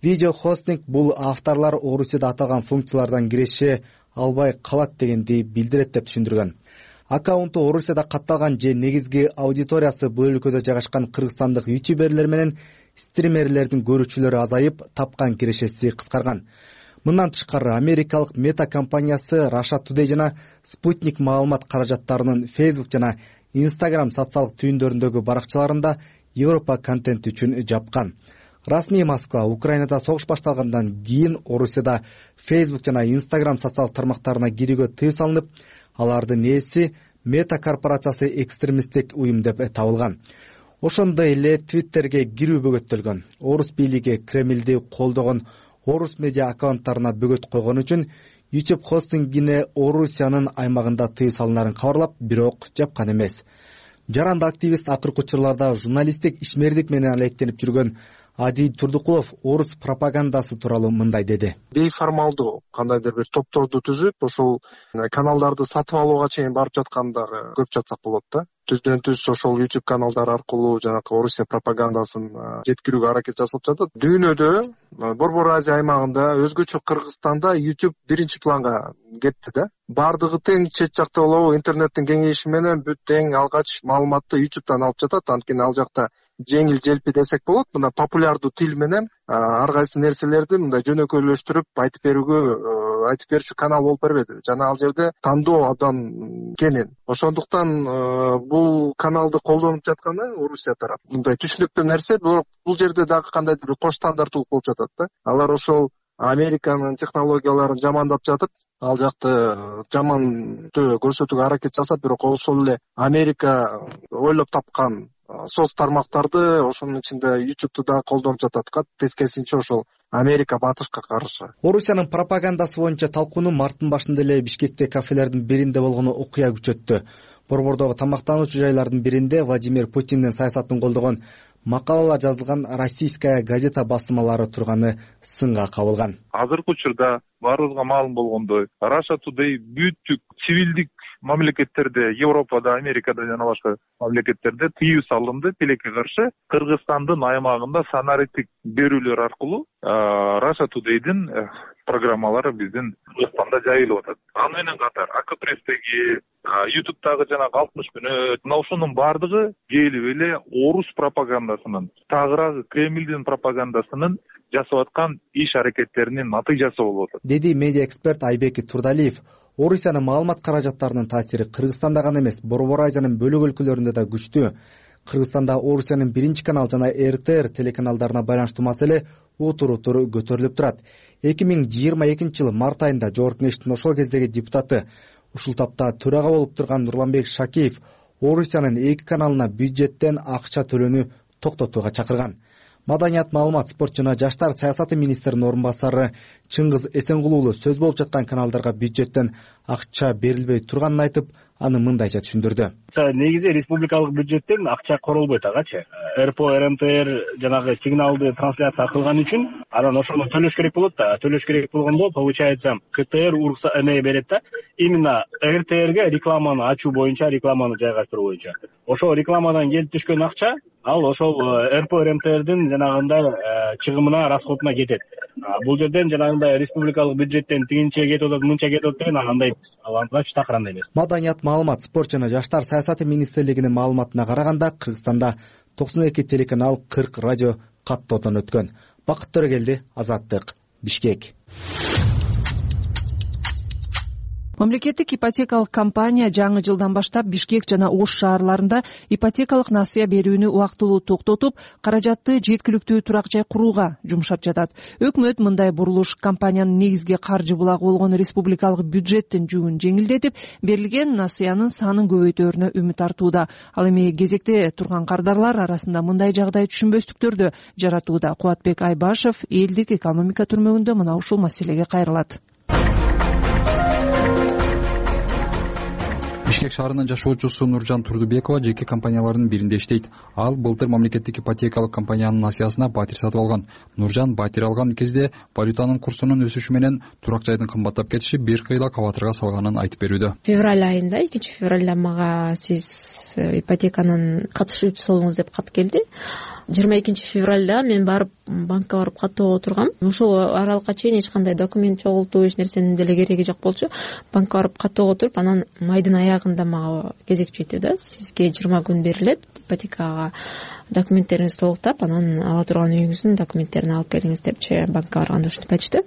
Видео хостинг бул авторлор Орусияда аталган функциялардан киреше албай калат дегенди билдирет деп түшүндүргөн. Аккаунту Орусияда катталган же негизги аудиториясы бул өлкөдө жайгашкан кыргызстандык ютуберлер менен стримерлердин көрүүчүлөрү азайып, тапкан кирешеси кыскарган. Мындан тышкары америкалык Meta компаниясы Russia Today жана Sputnik маалымат каражаттарынын Facebook жана Instagram социалдык түйүндөрүндөгү баракчаларында Европа контенти үчүн жапкан. Расмий Москва Украинада согуш башталгандан кийин Орусияда Facebook жана Instagram социалдык тармактарына кирүүгө тыюу салынып, алардын ээси Meta корпорациясы экстремисттик уюм деп табылган. Ошондой эле Twitterге кирүү бөгөттөлгөн. Орус бийлиги Кремлди колдогон Орус медиа аккаунттарына бөгөт койгон үчүн YouTube хостингине Орусиянын аймагында тыюу салынарын кабарлап, бирок жапкан эмес. Жаранды активист акыркы учурларда журналисттик ишмердик менен алектенип жүргөн Адил Турдукулов орус пропагандасы тууралуу мындай деди. Бейформалдуу кандайдыр бир топторду түзүп, ошол каналдарды сатып алууга чейин барып жаткандагы көп жатсак болот да. Түздөн түз ошол YouTube каналдар аркылуу жанакы Орусия пропагандасын жеткирүүгө аракет жасалып жатат. Дүйнөдө, Борбор Азия аймагында, өзгөчө Кыргызстанда YouTube биринчи планга кетти да. Бардыгы тең чет жакта болобу, интернеттин кеңейиши менен бүт тең алгач маалыматты YouTube'дан алып жатат. Анткени ал жакта жеңил желпи десек болот. Мына популярдуу тил менен ар кайсы нерселерди мындай жөнөкөйлөштүрүп айтып берүүгө, айтып берүүчү канал болуп бербеди. Жана ал жерде тандоо абдан кенен. Ошондуктан бул каналды колдонуп жатканы Орусия тарап. Мындай түшүнүктүү нерсе, бирок бул жерде дагы кандайдыр бир кош стандарттуулук болуп жатат да. Алар ошол Американын технологияларын жамандап жатып, ал жакты жамандуу көрсөтүүгө аракет жасап, бирок ошол эле Америка ойлоп тапкан соц тармактарды ошонун ичинде YouTube'ду да колдонуп жатат. Тескерисинче ошол Америка батышка каршы. Орусиянын пропагандасы боюнча талкууну марттын башында эле Бишкекте кафелердин биринде болгону окуя күчөттү. Борбордогу тамактануучу жайлардын биринде Владимир Путиндин саясатын колдогон макалалар жазылган Российская газета басылмалары турганы сынга кабылган. Азыркы учурда баарыбызга маалым болгондой, Russia Today бүттүк цивилдик мамлекеттерде, Европада, Америкада жана башка мамлекеттерде тыюу салынды тилекке каршы. Кыргызстандын аймагында санариптик берүүлөр аркылуу Russia Today'дин программалары биздин Кыргызстанда жайылып атат. Аны менен катар Акпресстеги, YouTube'дагы жана алтымыш мүнөт, мына ушунун баардыгы келип эле орус пропагандасынын, тагыраагы Кремлдин пропагандасынын жасап аткан иш аракеттеринин натыйжасы болуп атат, деди медиа эксперт Айбек Турдалиев. Орусиянын маалымат каражаттарынын таасири Кыргызстанда гана эмес, Борбор Азиянын бөлөк өлкөлөрүндө да күчтүү. Кыргызстанда Орусиянын биринчи канал жана эр тэ эр телеканалдарына байланыштуу маселе утур-утур көтөрүлүп турат. эки миң жыйырма экинчи жылы март айында Жогорку Кеңештин ошол кездеги депутаты, ушул тапта төрага болуп турган Нурланбек Шакеев Орусиянын эки каналына бюджеттен акча төлөөнү токтотууга чакырган. Маданият, маалымат, спорт жана жаштар саясаты министринин орун басары Чыңгыз Эсенгулуу сөз болуп жаткан каналдарга бюджеттен акча берилбей турганын айтып, аны мындайча түшүндүрдү. Негизи республикалык бюджеттен акча королбойт агачы. эр пэ о, эр эм тэ эр жанагы сигналды трансляция кылган үчүн анан ошону төлөш керек болот да. Төлөш керек болгондо получается ка тэ эр урукса эме берет да. Именно эр тэ эрге рекламаны ачуу боюнча, рекламаны жайгаштыруу боюнча. Ошол рекламадан келип түшкөн акча ал ошол эр пэ о, эр эм тэ эрдин жанагындай чыгымына, расходуна кетет. Бул жерден жанагындай республикалык бюджеттен тигинче кетип атат, мынча кетип атат деген андай ал андайча такырандай эмес. Маданият, маалымат, спорт жана жаштар саясаты министрлигинин маалыматына караганда Кыргызстанда токсон эки телеканал, кырк радио каттоодон өткөн. Бакыт Төрөгелди, Азаттык, Бишкек. Мамлекеттик ипотекалык компания жаңы жылдан баштап Бишкек жана Ош шаарларында ипотекалык насыя берүүнү убактылуу токтотуп, каражатты жеткиликтүү турак жай курууга жумшап жатат. Өкмөт мындай бурулуш компаниянын негизги каржы булагы болгон республикалык бюджеттин жүгүн жеңилдетип, берилген насыянын санын көбөйтөөрүнө үмүт артууда. Ал эми кезекте турган кардарлар арасында мындай жагдай түшүнбөстүктөрдү жаратууда. Кубатбек Айбашев элдик экономика түрмөгүндө мына ушул маселеге кайрылат. Бишкек шаарынын жашоочусу Нуржан Турдубекова жеке компаниялардын биринде иштейт. Ал былтыр мамлекеттик ипотекалык компаниянын насыясына батир сатып алган. Нуржан батир алган кезде валютанын курсунун өсүшү менен турак жайдын кымбаттап кетиши бир кыйла кабатырга салганын айтып берүүдө. Февраль айында, экинчи февралда мага сиз ипотеканын катышуучусу болуңуз деп кат келди. жыйырма экинчи февралда мен барып банкка барып каттоого тургам. Ошол аралыкка чейин эч кандай документ чогултуу, эч нерсенин деле кереги жок болчу. Банкка барып каттоого туруп, анан майдын аягында мага кезек жетти да. Сизге жыйырма күн берилет, ипотекага документтериңизди толуктап, анан ала турган үйүңүздүн документтерин алып келиңиз депчи банкка барганда ушинтип айтышты.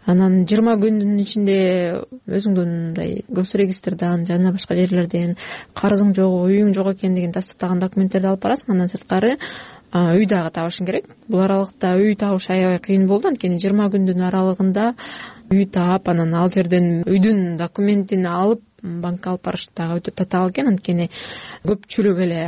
Анан жыйырма күндүн ичинде өзүңдүн мындай гос регистрден жана башка жерлерден карызың жок, үйүң жок экендигин тастыктаган документтерди алып барасың. Андан сырткары үй дагы табышың керек. Бул аралыкта үй табыш аябай кыйын болду, анткени жыйырма күндүн аралыгында үй таап, анан ал жерден үйдүн документин алып банкка алып барыш дагы өтө татаал экен. Анткени көпчүлүк эле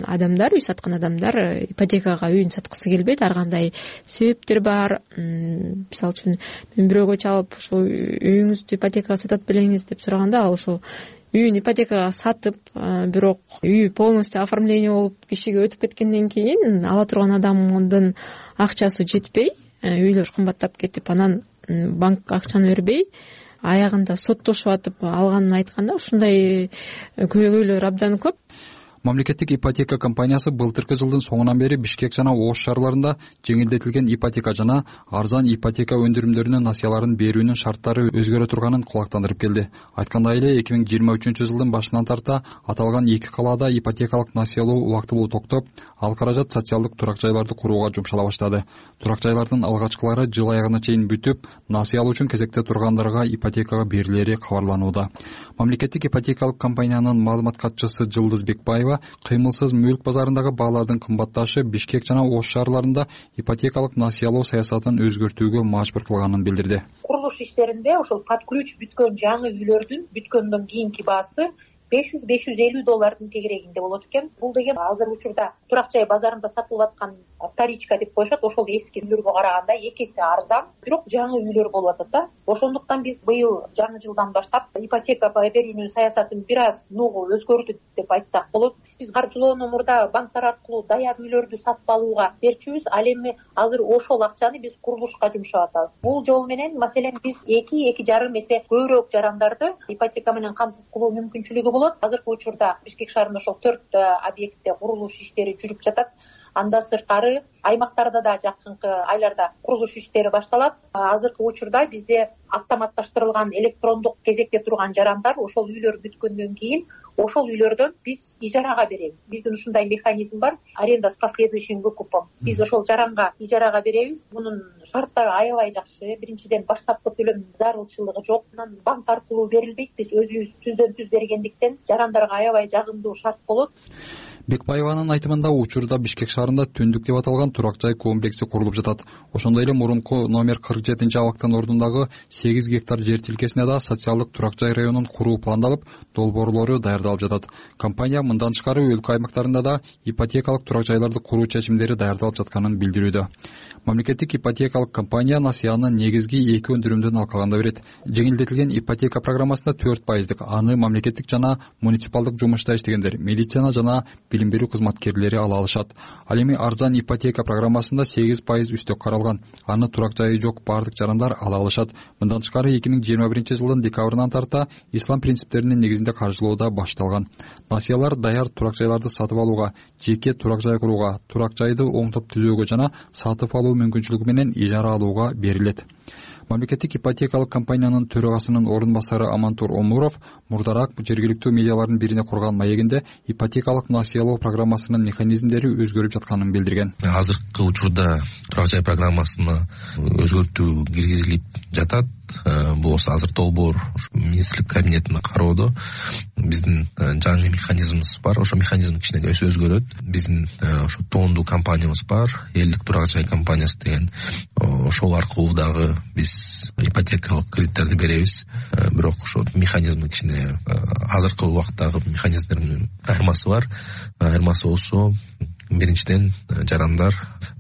адамдар, үй саткан адамдар ипотекага үйүн саткысы келбейт. Ар кандай себептер бар. Мисалы үчүн мен бирөөгө чалып, ошол үйүңүздү ипотекага сатат белеңиз деп сураганда, ал ошол үйүн ипотекага сатып, бирок үй полностью оформление болуп кишиге өтүп кеткенден кийин ала турган адамдын акчасы жетпей, үйлөр кымбаттап кетип, анан банк акчаны бербей, аягында соттошуп атып алганын айтканда, ушундай көйгөйлөр абдан көп. Мамлекеттик ипотека компаниясы былтыркы жылдын соңунан бери Бишкек жана Ош шаарларында жеңилдетилген ипотека жана арзан ипотека өндүрүмдөрүнүн насыяларын берүүнүн шарттары өзгөрө турганын кулактандырып келди. Айткандай эле эки миң жыйырма үчүнчү жылдын башынан тарта аталган эки калаада ипотекалык насыялоо убактылуу токтоп, ал каражат социалдык турак жайларды курууга жумшала баштады. Турак жайлардын алгачкылары жыл аягына чейин бүтүп, насыя алуу үчүн кезекте тургандарга ипотекага берилери кабарланууда. Мамлекеттик ипотекалык компаниянын маалымат катчысы Жылдыз Бекбаева кыймылсыз мүлк базарындагы баалардын кымбатташы Бишкек жана Ош шаарларында ипотекалык насыялоо саясатын өзгөртүүгө мажбур кылганын билдирди. Курулуш иштеринде ошол под ключ бүткөн жаңы үйлөрдүн бүткөндөн кийинки баасы беш жүз беш жүз элүү доллардын тегерегинде болот экен. Бул деген азыр учурда турак жай базарында сатылып аткан вторичка деп коюшат, ошол эски үйлөргө караганда эки эсе арзан, бирок жаңы үйлөр болуп атат да. Ошондуктан биз быйыл жаңы жылдан баштап ипотека берүүнүн саясатын бир аз ногу өзгөртүп деп айтсак болот. Биз каржылоону мурда банктар аркылуу даяр үйлөрдү сатып алууга берчүбүз, ал эми азыр ошол акчаны биз курулушка жумшап атабыз. Бул жол менен маселен биз эки эки жарым эсе көбүрөөк жарандарды ипотека менен камсыз кылуу мүмкүнчүлүгү болот. Азыркы учурда Бишкек шаарында ошол төрт объектте курулуш иштери жүрүп жатат. Андан сырткары аймактарда да жакынкы айларда курулуш иштери башталат. Азыркы учурда бизде автоматташтырылган электрондук кезекте турган жарандар ошол үйлөр бүткөндөн кийин ошол үйлөрдөн биз ижарага беребиз. Биздин ушундай механизм бар, аренда с последующим выкупом. Биз ошол жаранга ижарага беребиз. Мунун шарттары аябай жакшы. Биринчиден баштапкы төлөм зарылчылыгы жок. Анан банк аркылуу берилбейт. Биз өзүбүз түздөн түз бергендиктен жарандарга аябай жагымдуу шарт болот. Бекбаеванын айтымында учурда Бишкек шаарында Түндүк деп аталган турак жай комплекси курулуп жатат. Ошондой эле мурунку номер кырк жетинчи абактын ордундагы сегиз гектар жер тилкесине да социалдык турак жай районун куруу пландалып, долбоорлору даярдалып жатат. Компания мындан тышкары өлкө аймактарында да ипотекалык турак жайларды куруу чечимдери даярдалып жатканын билдирүүдө. Мамлекеттик ипотекалык компания насыяны негизги эки өндүрүмдөн алкаганда берет. Жеңилдетилген ипотека программасында төрт пайыздык, аны мамлекеттик жана муниципалдык жумушта иштегендер, милиция жана билим берүү кызматкерлери ала алышат. Ал эми арзан ипотека программасында сегиз пайыз үстөк каралган. Аны турак жайы жок бардык жарандар ала алышат. Мындан тышкары эки миң жыйырма биринчи жылдын декабрынан тарта ислам принциптеринин негизинде каржылоо да башталган. Насыялар даяр турак жайларды сатып алууга, жеке турак жай курууга, турак жайды оңдоп түзөөгө жана сатып алуу мүмкүнчүлүгү менен ижара алууга берилет. Мамлекеттик ипотекалык компаниянын төрагасынын орун басары Амантур Омуров мурдараак жергиликтүү медиалардын бирине курган маегинде ипотекалык насыялоо программасынын механизмдери өзгөрүп жатканын билдирген. Азыркы учурда турак жай программасына өзгөртүү киргизилип жатат. Бул азыр долбоор министрлик кабинетинде кароодо. Биздин жаңы механизмибиз бар. Ошо механизм кичине өзгөрөт. Биздин ошо тоондуу компаниябыз бар, элдик турак жай компаниясы деген. Ошол аркылуу дагы биз ипотекалык кредиттерди беребиз. Бирок ошо механизм кичине азыркы убакыттагы механизмдердин айырмасы бар. Айырмасы болсо, биринчиден жарандар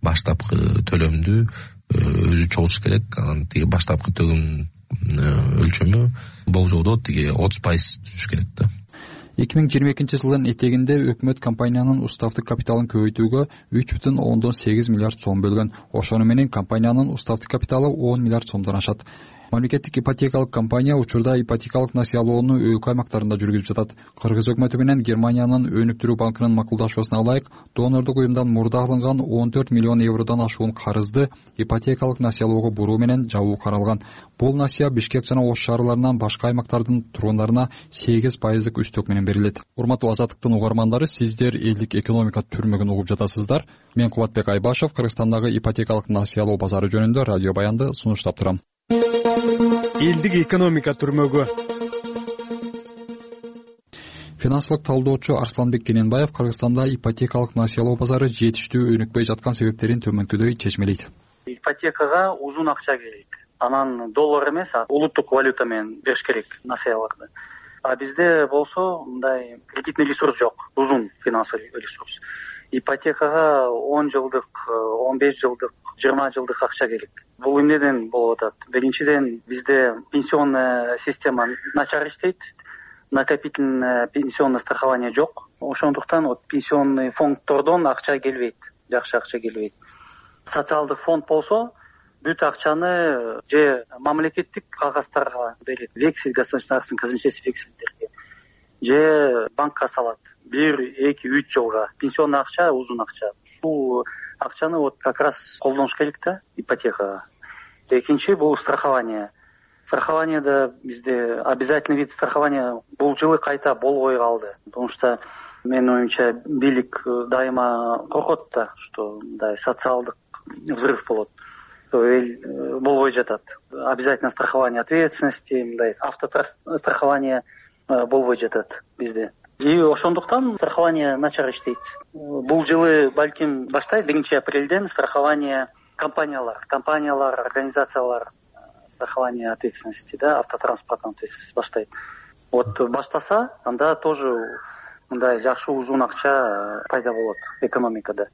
баштапкы төлөмдү өзү чогулуш керек. Анан тиги баштапкы төлөм өлчөмү болжолдо тиги отуз пайыз түшүш керек да. эки миң жыйырма экинчи жылдын этегинде өкмөт компаниянын уставдык капиталын көбөйтүүгө үч бүтүн ондон сегиз миллиард сом бөлгөн. Ошону менен компаниянын уставдык капиталы он миллиард сомдон ашат. Мамлекеттик ипотекалык компания учурда ипотекалык насыялоону өлкө аймактарында жүргүзүп жатат. Кыргыз өкмөтү менен Германиянын өнүктүрүү банкынын макулдашуусуна ылайык донордук уюмдан мурда алынган он төрт миллион евродон ашуун карызды ипотекалык насыялоого буруу менен жабуу каралган. Бул насыя Бишкек жана Ош шаарларынан башка аймактардын тургундарына сегиз пайыздык үстөк менен берилет. Урматтуу Азаттыктын угармандары, сиздер элдик экономика түрмөгүн угуп жатасыздар. Мен Кубатбек Айбашев Кыргызстандагы ипотекалык насыялоо базары жөнүндө радио баянды сунуштап турам. Элдик экономика түрмөгү. Финансылык талдоочу Арсланбек Кененбаев Кыргызстанда ипотекалык насыялоо базары жетиштүү өнүкпөй жаткан себептерин төмөнкүдөй чечмелейт. Ипотекага узун акча керек. Анан доллар эмес, улуттук валюта менен бериш керек насыяларды. А бизде болсо мындай кредитный ресурс жок, узун финансовый ресурс. Ипотекага он жылдык, он беш жылдык, жыйырма жылдык акча керек. Бул эмнеден болуп атат? Биринчиден бизде пенсионная система начар иштейт, накопительное пенсионное страхование жок. Ошондуктан вот пенсионный фонддордон акча келбейт, жакшы акча келбейт. Социалдык фонд болсо бүт акчаны же мамлекеттик кагаздарга берет, вексель, государственный казначейский вексельдерге, же банкка салат. бир, эки, үч жылга. Пенсионный акча, узун акча. Бул акчаны вот как раз колдонуш керек да ипотекага. Экинчи бул страхование. Страхованиеда бизде обязательный вид страхования бул жылы кайта болбой калды. Потому что менин оюмча бийлик дайыма коркот да, что мындай социалдык взрыв болот. Эл болбой жатат. Обязательно страхование ответственности, мындай автострахование болбой жатат бизде. И ошондуктан страхование начар иштейт. Бул жылы балким баштайт биринчи апрелден страхование компаниялар, компаниялар, организациялар страхование ответственности, да, автотранспортной ответственности баштайт. Вот баштаса, анда тоже мындай жакшы узун акча пайда болот экономикада.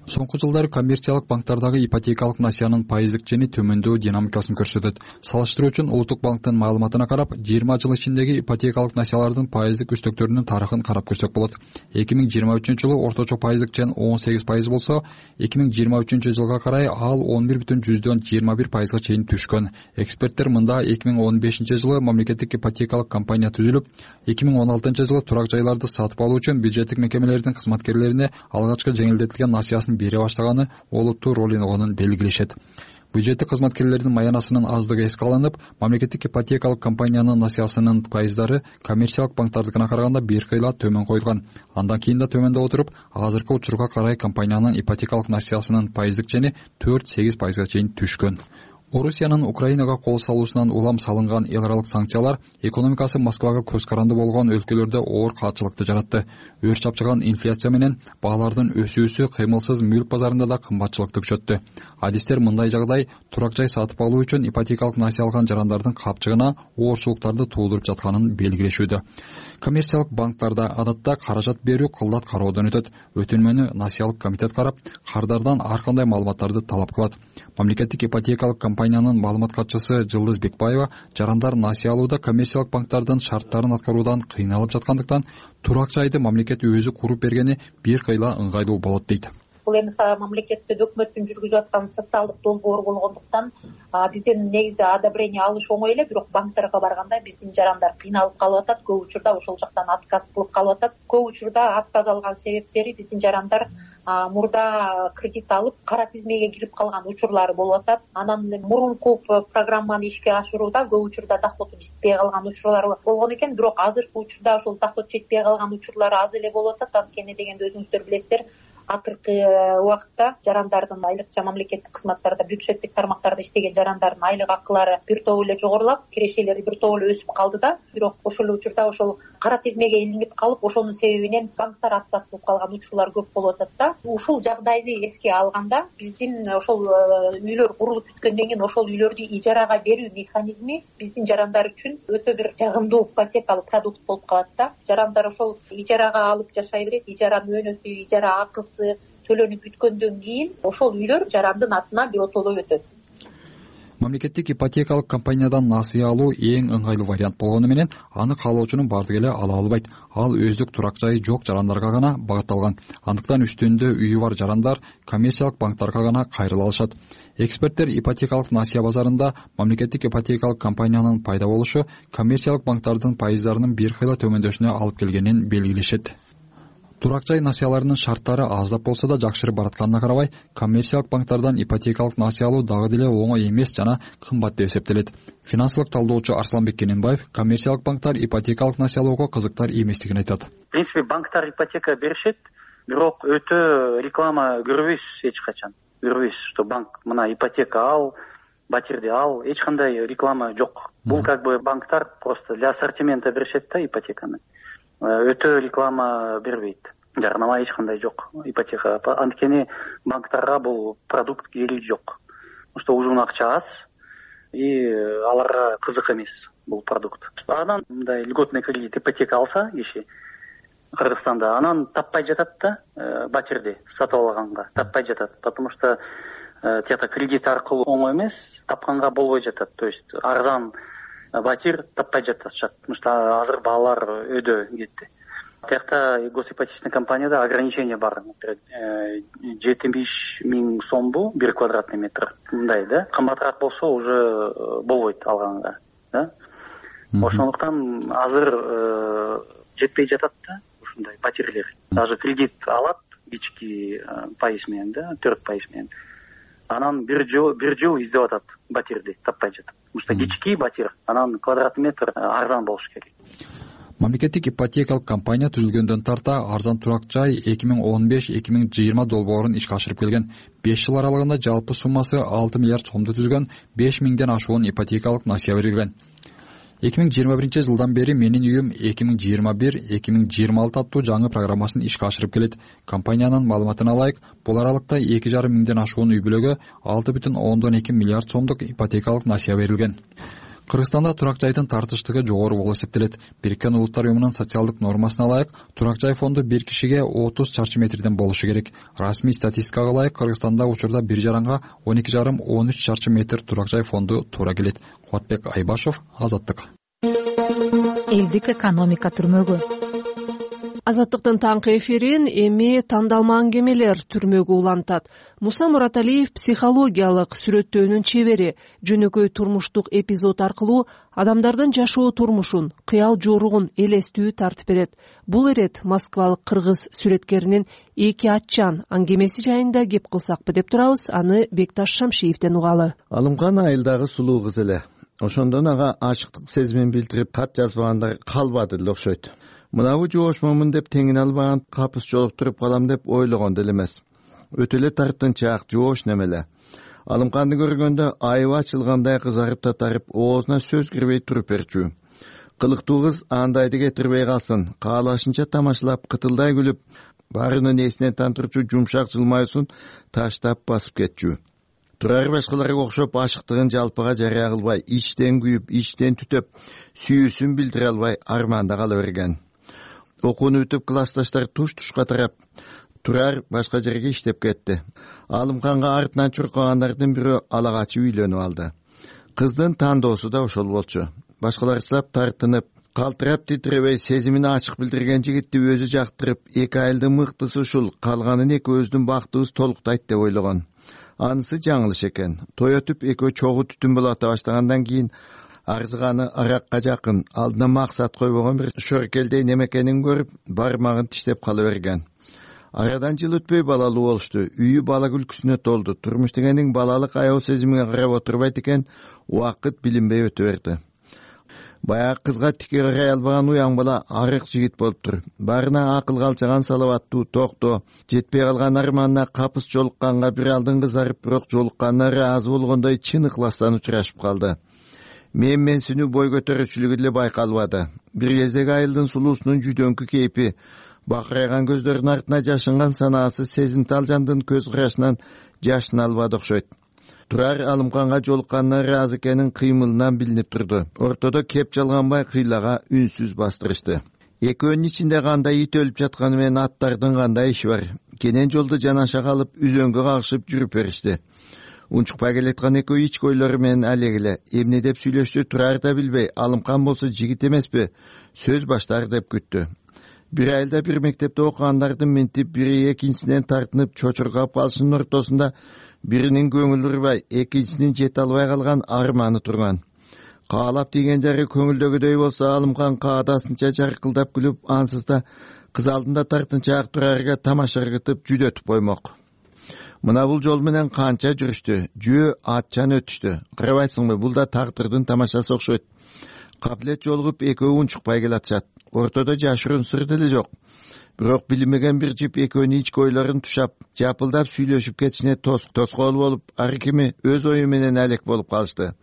Соңку жылдары коммерциялык банктардагы ипотекалык насыянын пайыздык жени төмөндөө динамикасын көрсөтөт. Салыштыруу үчүн Улуттук банктын маалыматына карап, жыйырма жыл ичиндеги ипотекалык насыялардын пайыздык үстөктөрүнүн тарыхын карап көрсөк болот. эки миң жыйырма үчүнчү жылы орточо пайыздык жен он сегиз пайыз болсо, эки миң жыйырма үчүнчү жылга карай ал он бир бүтүн жүздөн жыйырма бир пайызга чейин түшкөн. Эксперттер мында эки миң он бешинчи жылы мамлекеттик ипотекалык компания түзүлүп, эки миң он алтынчы жылы турак жайларды сатып сатып алуу үчүн бюджеттик мекемелердин кызматкерлерине алгачкы жеңилдетилген насыясын бере баштаганы олуттуу роль ойногонун белгилешет. Бюджеттик кызматкерлердин маянасынын аздыгы эске алынып, мамлекеттик ипотекалык компаниянын насыясынын пайыздары коммерциялык банктардыкына караганда бир кыйла төмөн коюлган. Андан кийин да төмөндөп отуруп, азыркы учурга карай компаниянын ипотекалык насыясынын пайыздык чени төрт сегиз пайызга чейин түшкөн. Орусиянын Украинага кол салуусунан улам салынган эл аралык санкциялар экономикасы Москвага көз каранды болгон өлкөлөрдө оор каатчылыкты жаратты. Өр чапчыган инфляция менен баалардын өсүүсү кыймылсыз мүлк базарында да кымбатчылыкты күчөттү. Адистер мындай жагдай турак жай сатып алуу үчүн ипотекалык насыя алган жарандардын капчыгына оорчулуктарды туудуруп жатканын белгилешүүдө. Коммерциялык банктарда адатта каражат берүү кылдат кароодон өтөт. Өтүнмөнү насыялык комитет карап, кардардан ар кандай маалыматтарды талап кылат. Мамлекеттик ипотекалык компаниянын маалымат катчысы Жылдыз Бекбаева жарандар насыя алууда коммерциялык банктардын шарттарын аткаруудан кыйналып жаткандыктан турак жайды мамлекет өзү куруп бергени бир кыйла ыңгайлуу болот дейт. Бул эми мамлекеттик өкмөттүн жүргүзүп аткан социалдык долбоор болгондуктан бизден негизи одобрение алыш оңой эле, бирок банктарга барганда биздин жарандар кыйналып калып атат. Көп учурда ошол жактан отказ кылып калып атат. Көп учурда отказ алган себептери биздин жарандар мурда кредит алып кара тизмеге кирип калган учурлары болуп атат. Анан мурунку программаны ишке ашырууда көп учурда доходу жетпей калган учурлар болгон экен, бирок азыркы учурда ошол доход жетпей калган учурлар аз эле болуп атат. Анткени дегенде өзүңүздөр билесиздер, акыркы убакытта жарандардын айлыкча мамлекеттик кызматтарда, бюджеттик тармактарда иштеген жарандардын айлык акылары бир топ эле жогорулап, кирешелери бир топ эле өсүп калды да. Бирок ошол учурда ошол кара тизмеге илинип калып, ошонун себебинен банктар отказ кылып калган учурлар көп болуп атат да. Ушул жагдайды эске алганда, биздин ошол үйлөр курулуп бүткөндөн кийин ошол үйлөрдү ижарага берүү механизми биздин жарандар үчүн өтө бир жагымдуу ипотекалык продукт болуп калат да. Жарандар ошол ижарага алып жашай берет, ижаранын өнөсү, ижара акысы төлөнүп бүткөндөн кийин ошол үйлөр жарандын атына биротоло өтөт. Мамлекеттик ипотекалык компаниядан насыя алуу эң ыңгайлуу вариант болгону менен аны каалоочунун бардыгы эле ала албайт. Ал өздүк турак жайы жок жарандарга гана багытталган. Андыктан үстүндө үйү бар жарандар коммерциялык банктарга гана кайрыла алышат. Эксперттер ипотекалык насыя базарында мамлекеттик ипотекалык компаниянын пайда болушу коммерциялык банктардын пайыздарынын бир кыйла төмөндөшүнө алып келгенин белгилешет. Турак жай насыяларынын шарттары аздап болсо да жакшырып баратканына карабай, коммерциялык банктардан ипотекалык насыя алуу дагы деле оңой эмес жана кымбат деп эсептелет. Финансылык талдоочу Арсланбек Кененбаев коммерциялык банктар ипотекалык насыя алууга кызыктар эместигин айтат. В принципе, банктар ипотека беришет, бирок өтө реклама көрбөйсүз эч качан. Көрбөйсүз, что банк мына ипотека ал, батирди ал, эч кандай реклама жок. Бул как бы банктар просто для ассортимента беришет да ипотеканы. Өтө реклама бербейт. Жарнама эч кандай жок ипотека. Анткени банктарга бул продукт кереги жок. Потому что ужун акча аз и аларга кызык эмес бул продукт. Анан мындай льготный кредит ипотека алса киши Кыргызстанда, анан таппай жатат да, батирди сатып алганга таппай жатат. Потому что тиякта кредит аркылуу оңой эмес, тапканга болбой жатат. То есть арзан батир таппай жатышат. Потому что азыр баалар өйдө кетти. Тиякта госипотечный компанияда ограничение бар. жетимиш миң сомбу бир квадратный метр. Мындай да. Кымбатыраак болсо уже болбойт алганга, да. Ошондуктан азыр жетпей жатат да ушундай батирлер. Даже кредит алат кички пайыз менен да, төрт пайыз менен. Анан бир жыл бир жыл издеп атат батирди, таппай жатат. Потому что кички батир, анан квадратный метр арзан болуш керек. Мамлекеттик ипотекалык компания түзүлгөндөн тарта арзан турак жай эки миң он беш эки миң жыйырма долбоорун ишке ашырып келген. беш жыл аралыгында жалпы суммасы алты миллиард сомду түзгөн беш миңден ашуун ипотекалык насыя берилген. эки миң жыйырма биринчи жылдан бери Менин үйүм эки миң жыйырма бир эки миң жыйырма алты аттуу жаңы программасын ишке ашырып келет. Компаниянын маалыматына ылайык, бул аралыкта эки жарым миңден ашуун үй бүлөгө алты бүтүн ондон эки миллиард сомдук ипотекалык насыя берилген. Кыргызстанда турак жайдын тартыштыгы жогору болуп эсептелет. Бириккен Улуттар уюмунун социалдык нормасына ылайык, турак жай фонду бир кишиге отуз чарчы метрден болушу керек. Расмий статистикага ылайык, Кыргызстанда учурда бир жаранга он эки жарым он үч чарчы метр турак жай фонду туура келет. Кубатбек Айбашев, Азаттык. Элдик экономика түрмөгү. Азаттыктын таңкы эфирин эми тандалма аңгемелер түрмөгө улантат. Муса Мураталиев психологиялык сүрөттөөнүн чебери, жөнөкөй турмуштук эпизод аркылуу адамдардын жашоо турмушун, кыял жоругун элестүү тартып берет. Бул ирет москвалык кыргыз сүрөткеринин эки атчан аңгемеси жайында кеп кылсакпы деп турабыз. Аны Бекташ Шамшиевден угалы. Алымкан айылдагы сулуу кыз эле. Ошондон ага ашыктык сезимин билдирип кат жазбагандар калбады эле окшойт. Мынабу жоошмомун деп теңине албаган капыс жолуктуруп калам деп ойлогон деле эмес. Өтө эле тартынчаак жоош немеле. Алымканды көргөндө айыбы ачылгандай кызарып татарып, оозуна сөз кирбей туруп берчү. Кылыктуу кыз андайды кетирбей калсын, каалашынча тамашалап, кытылдай күлүп, баарынын эсинен тантырчу жумшак жылмаюусун таштап басып кетчү. Турар башкаларга окшоп ашыктыгын жалпыга жарыя кылбай, ичтен күйүп, ичтен түтөп, сүйүүсүн билдире албай арманда кала берген. Окууну бүтүп классташтар туш-тушка тарап, Турар башка жерге иштеп кетти. Алымканга артынан чуркагандардын бирөө ала качып үйлөнүп алды. Кыздын тандоосу да ошол болчу. Башкаларчылап тартынып, калтырап титиребей сезимин ачык билдирген жигитти өзү жактырып, эки айылдын мыктысы ушул, калганын экөөбүздүн бактыбыз толуктайт деп ойлогон. Анысы жаңылыш экен. Той өтүп экөө чогуу түтүн болото баштагандан кийин арзыганы аракка жакын, алдына максат койбогон бир шөркелдей немекенин көрүп, бармагын тиштеп кала берген. Арадан жыл өтпөй балалуу болушту. Үйү бала күлкүсүнө толду. Турмуш дегендин балалык аяб сезимине карап отурбайт экен, убакыт билинбей өтө берди. Баягы кызга тике карай албаган уяң бала арык жигит болуптур. Баарына акыл калчаган салаваттуу, токто, жетпей калган арманына капыс жолукканга бир алдын кызарып, бирок жолукканына ыраазы болгондой чын ыкластан учурашып калды. Мен менсинүү бой көтөрүүчүлүгү деле байкалбады. Бир кездеги айылдын сулуусунун жүдөңкү кейпи, бакырайган көздөрүнүн артына жашынган санаасы сезимтал жандын көз карашынан жашын албады окшойт. Турар Алымканга жолукканына ыраазы экенин кыймылынан билинип турду. Ортодо кеп жалганбай кыйлага үнсүз бастырышты. Экөөнүн ичинде кандай ит өлүп жатканы менен аттардын кандай иши бар. Кенен жолду жанаша калып, үзөңгө кагышып жүрүп беришти. Унчукпай келаткан экөө ички ойлору менен алегиле эмне деп сүйлөштү Турар да билбей, Алымкан болсо жигит эмеспи, сөз баштар деп күттү. Бир айылда бир мектепте окугандардын минтип, бири экинчисинен тартынып чочургап калышынын ортосунда биринин көңүлү урбай, экинчисинин жете албай калган арманы турган. Каалап тийген жары көңүлдөгүдөй болсо, Алымкан каадасынча жаркылдап күлүп, ансыз да кыз алдында тартынчаак Турарга тамаша ыргытып жүдөтүп коймок. Мына бул жол менен канча жүрүштү, жөө атчан өтүштү. Карабайсыңбы, бул да тагдырдын тамашасы окшойт. Каплет жолугуп экөө унчукпай келатышат. Ортодо жашыруун сыр деле жок. Бирок билинбеген бир жип экөөнүн ички ойлорун тушап, жапылдап сүйлөшүп кетишине тоскоол болуп, ар кими өз ою менен алек болуп калышты.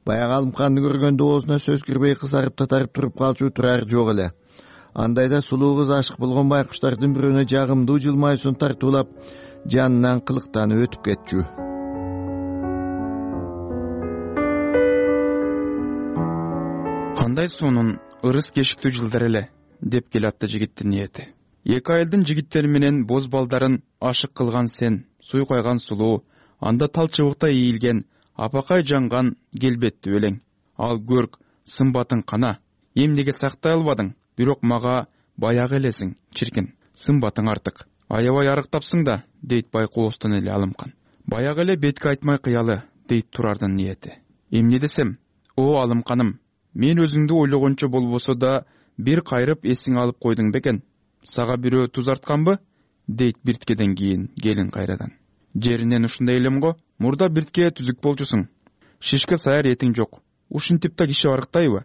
Баягы Алымканды көргөндө оозуна сөз кирбей кызарып татарып туруп калчу Турар жок эле. Андайда сулуу кыз ашык болгон байкуштардын бирөөнө жагымдуу жылмаюусун тартуулап, жанынан кылыктанып өтүп кетчү. Кандай сонун ырыс кешиктүү жылдар эле, деп келатты жигиттин ниети. Эки айылдын жигиттери менен боз балдарын ашык кылган сен, суйкайган сулуу, анда тал чыбыктай ийилген, апакай жанган келбеттүү элең. Ал көрк, сымбатың кана, эмнеге сактай албадың, бирок мага баягы элесиң, чиркин, сымбатың артык. Аябай арыктапсың да, дейт байкоостон эле Алымкан. Баягы эле бетке айтмай кыялы, дейт Турардын ниети. Эмне десем, о Алымканым, мен өзүңдү ойлогончо болбосо да бир кайрып эсиң алып койдуң бекен. Сага бирөө туз артканбы? Дейт бирткеден кийин келин кайрадан. Жеринен ушундай элем го, мурда биртке түзүк болчусуң. Шишке саяр этиң жок. Ушинтип да киши арыктайбы?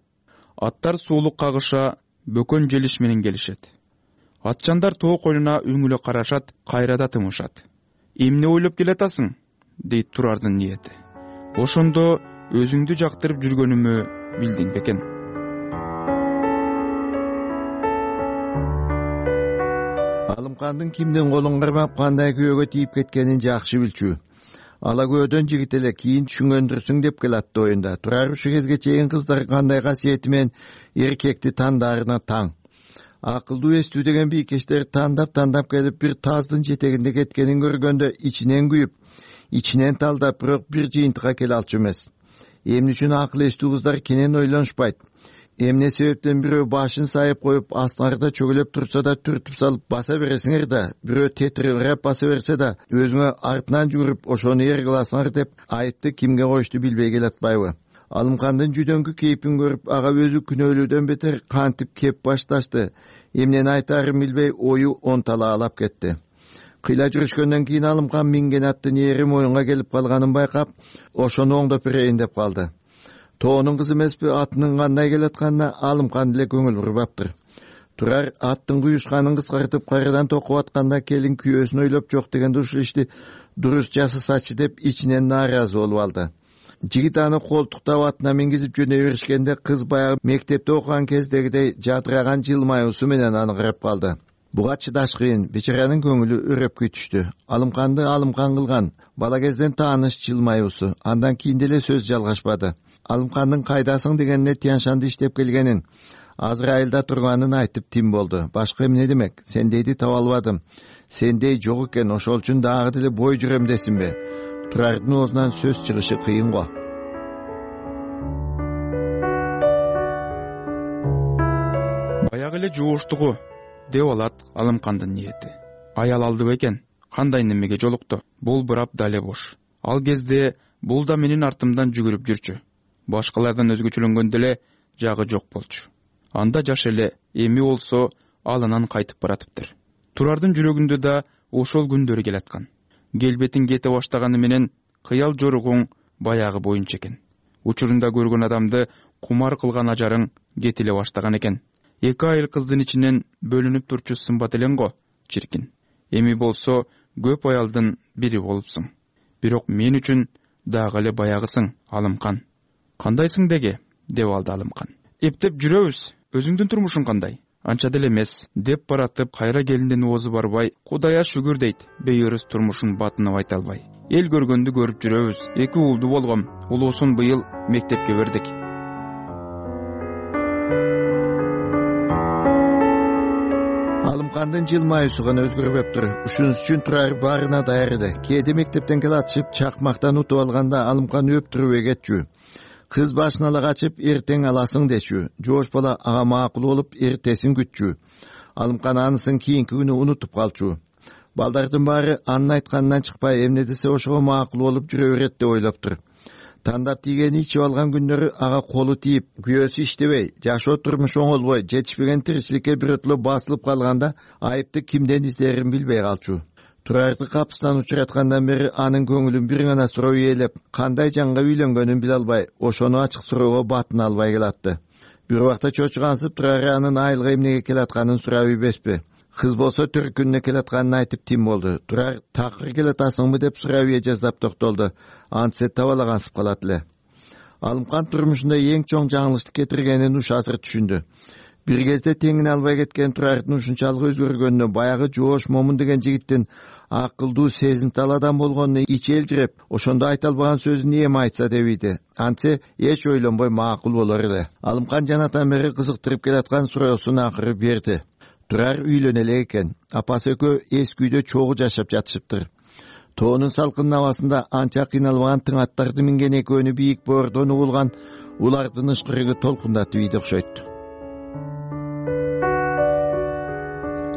Аттар суулук кагыша, бөкөн желиш менен келишет. Атчандар тоо койнуна үңүлө карашат, кайрада тымышат. Эмне ойлоп келатасың? Дейт Турардын ниети. Ошондо өзүңдү жактырып жүргөнүмө билдиң бекен. Алымкандын кимдин колун кармап кандай күйөөгө тийип кеткенин жакшы билчү. Ала көөдөн жигит эле, кийин түшүнгөндүрсүң деп келатты оюнда. Турар ушу кезге чейин кыздар кандай касиети менен эркекти тандаарына таң. Акылдуу эстүү деген бийкештер тандап-тандап келип бир таздын жетегинде кеткенин көргөндө ичинен күйүп, ичинен талдап, бирок бир жыйынтыкка келе алчу эмес. Эмне үчүн акыл эстүү кыздар кенен ойлонушпайт? Эмне себептен бирөө башын сайып коюп астыңарда чөгөлөп турса да түртүп салып баса бересиңер да, бирөө тетирирээп баса берсе да өзүңө артынан жүгүрүп ошону эр кыласыңар деп айыпты кимге коюшту билбей келатпайбы? Алымкандын жүдөңкү кейпин көрүп ага өзү күнөөлүүдөн бетер кантип кеп башташты. Эмнени айтаарын билбей ою онталаалап кетти. Кыйла жүрүшкөндөн кийин Алымкан минген аттын эри моюнга келип калганын байкап, ошону оңдоп берейин деп калды. Тоонун кызы эмеспи, атынын кандай келатканына Алымкан деле көңүл бурбаптыр. Турар аттын куюшканын кыскартып кайрадан токуп атканда келин күйөөсүн ойлоп жок дегенде ушул ишти дурус жасасачы деп ичинен нааразы болуп алды. Жигит аны колтуктап атына мингизип жөнөй беришкенде кыз баягы мектепте окуган кездегидей жадыраган жылмаюусу менен аны карап калды. Буга чыдаш кыйын, бечаранын көңүлү өрөпкө түштү. Алымканды Алымкан кылган бала кезден тааныш жылмаюусу, андан кийин деле сөз жалгашпады. Алымкандын кайдасың дегенине Тяншанды иштеп келгенин, азыр айылда турганын айтып тим болду. Башка эмне демек? Сендейди таба албадым. Сендей жок экен, ошол үчүн дагы деле бой жүрөм десинби? Турардын оозунан сөз чыгышы кыйын го. Баягы эле жууштугу деп алат Алымкандын ниети. Аял алды бекен, кандай немеге жолукту? Бул бурап дале бош. Ал кезде бул да менин артымдан жүгүрүп жүрчү. Башкалардан өзгөчөлөнгөн деле жагы жок болчу. Анда жаш эле, эми болсо алынан кайтып баратыптыр. Турардын жүрөгүндө да ошол күндөр келаткан. Келбетин кете баштаганы менен кыял жоругуң баягы боюнча экен. Учурунда көргөн адамды кумар кылган ажарың кетиле баштаган экен. Эки айыл кыздын ичинен бөлүнүп турчу сымбат элең го, чиркин. Эми болсо көп аялдын бири болупсуң. Бирок мен үчүн дагы эле баягысың, Алымкан. Кандайсың деге? Деп алды Алымкан. Эптеп жүрөбүз. Өзүңдүн турмушуң кандай? Анча деле эмес, деп баратып кайра келинден оозу барбай, Кудайга шүгүр дейт, бейөрүс турмушун батынып айта албай. Эл көргөндү көрүп жүрөбүз. Эки уулду болгом, улуусун быйыл мектепке бердик. Алымкандын жылмаюусу гана өзгөрбөптүр. Ушунус үчүн Турар баарына даяр эле. Кээде мектептен келатышып чакмактан утуп алганда Алымкан өптүрүп кетчү. Кыз башын ала качып, эртең аласың дечү. Жоош бала ага макул болуп, эртесин күтчү. Алымкан анысын кийинки күнү унутуп калчу. Балдардын баары анын айтканынан чыкпай, эмне десе ошого макул болуп жүрө берет деп ойлоптур. Тандап тийгени ичип алган күндөрү ага колу тийип, күйөөсү иштебей, жашоо турмушу оңолбой, жетишпеген тиричиликке бирөтлөө басылып калганда айыпты кимден издерин билбей калчу. Турарды капысынан учураткандан бери анын көңүлүн бир гана суроо ээлеп, кандай жанга үйлөнгөнүн биле албай, ошону ачык суроого батына албай келатты. Бир убакта чочугансып Турар анын айылга эмнеге келатканын сурап ийбеспи? Кыз болсо төрт күнүнө келатканын айтып тим болду. Турар такыр келатасыңбы деп сурап ие жаздап токтолду. Антсе табалагансып калат эле. Алымкан турмушунда эң чоң жаңылыштык кетиргенин уш азыр түшүндү. Бир кезде теңине албай кеткен Турардын ушунчалык өзгөргөнүнө, баягы жоош момун деген жигиттин акылдуу, сезимтал адам болгонуна ичи элжиреп, ошондо айта албаган сөзүн эми айтса деп ийди. Антсе эч ойлонбой макул болор эле. Алымкан жанатан бери кызыктырып келаткан суроосун акыры берди. Турар үйлөнө элек экен. Апасы экөө эски үйдө чогуу жашап жатышыптыр. Тоонун салкын абасында анча кыйналбаган тың аттарды минген экөөнү бийик боордон угулган улардын ышкырыгы толкундатып ийди окшойт.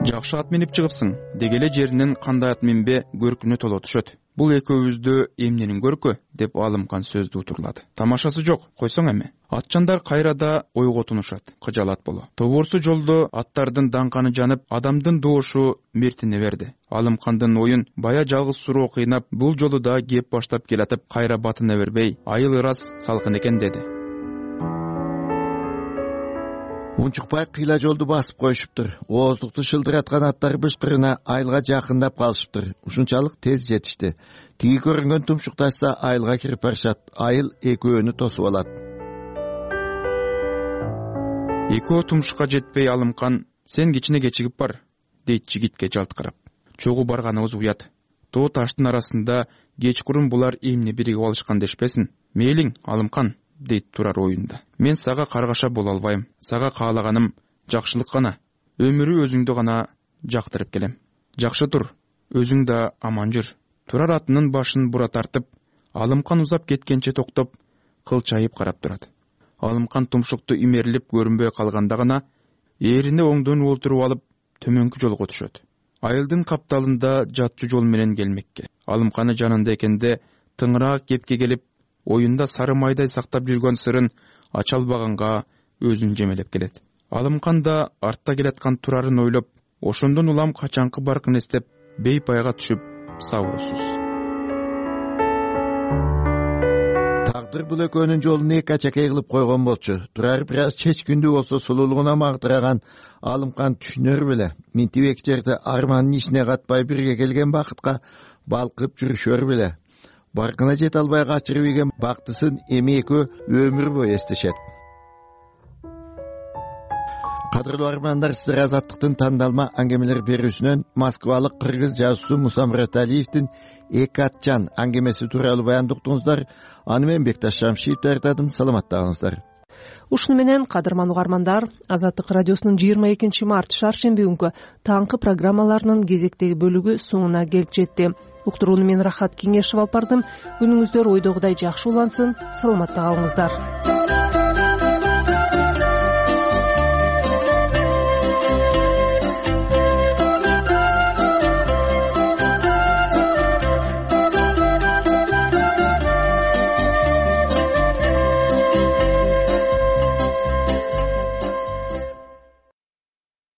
Жакшы ат минип чыгыпсың, дегеле жеринен кандай ат минбе көркүнө толо түшөт. Бул экөөбүздө эмненин көркү деп Алымкан сөздү утурлады. Тамашасы жок, койсоң эми. Атчандар кайрада ойго тунушат, кыжалат боло. Тобурсу жолдо аттардын даңканы жанып, адамдын доошу мертине берди. Алымкандын оюн бая жалгыз суроо кыйнап, бул жолу да кеп баштап келатып, кайра батына бербей, айыл ырас салкын экен деди. Унчукпай кыйла жолду басып коюшуптур. Ооздукту шылдыраткан аттар бышкырына айылга жакындап калышыптыр. Ушунчалык тез жетишти. Тиги көрүнгөн тумшукташса айылга кирип барышат. Айыл экөөнү тосуп алат. Экөө тумшукка жетпей Алымкан, сен кичине кечигип бар, дейт жигитке жалт карап. Чогуу барганыбыз уят. Тоо таштын арасында кечкурун булар эмне биригип алышкан дешпесин. Мейлиң, Алымкан, дейт Турар оюнда. Мен сага каргаша боло албайм. Сага каалаганым жакшылык гана. Өмүрү өзүңдү гана жактырып келем. Жакшы тур, өзүң да аман жүр. Турар атынын башын бура тартып, Алымкан узап кеткенче токтоп, кылчайып карап турат. Алымкан тумшукту имерилип көрүнбөй калганда гана ээрине оңдон олтуруп алып төмөнкү жолго түшөт. Айылдын капталында жатчу жол менен келмекке. Алымканы жанында экенде тыңыраак кепке келип, оюнда сары майдай сактап жүргөн сырын ача албаганга өзүн жемелеп келет. Алымкан да артта келаткан Турарын ойлоп, ошондон улам качанкы баркын эстеп, бейпайга түшүп сабырсыз. Тагдыр бул экөөнүн жолун эки ачакей кылып койгон болчу. Турар бир аз чечкүндүү болсо сулуулугуна магдыраган Алымкан түшүнөр беле. Минтип эки жерде армандын ишине катпай бирге келген бакытка балкып жүрүшөр беле. Баркына жете албай качырып ийген бактысын эми экөө өмүр бою эстешет. Кадырлуу армандар, сиздер Азаттыктын тандалма аңгемелер берүүсүнөн Москвалык кыргыз жазуусу Муса Мураталиевдин эки атчан аңгемеси тууралуу баянды уктуңуздар. Аны мен Бекташ Шамшиев даярдадым. Саламаттагыңыздар. Ушуну менен кадырман угармандар, Азаттык радиосунун жыйырма экинчи март шаршемби күнкү таңкы программаларынын кезектеги бөлүгү соңуна келип жетти. Уктурууну мен Рахат Кеңешев алып бардым. Күнүңүздөр ойдогудай жакшы улансын. Саламатта калыңыздар.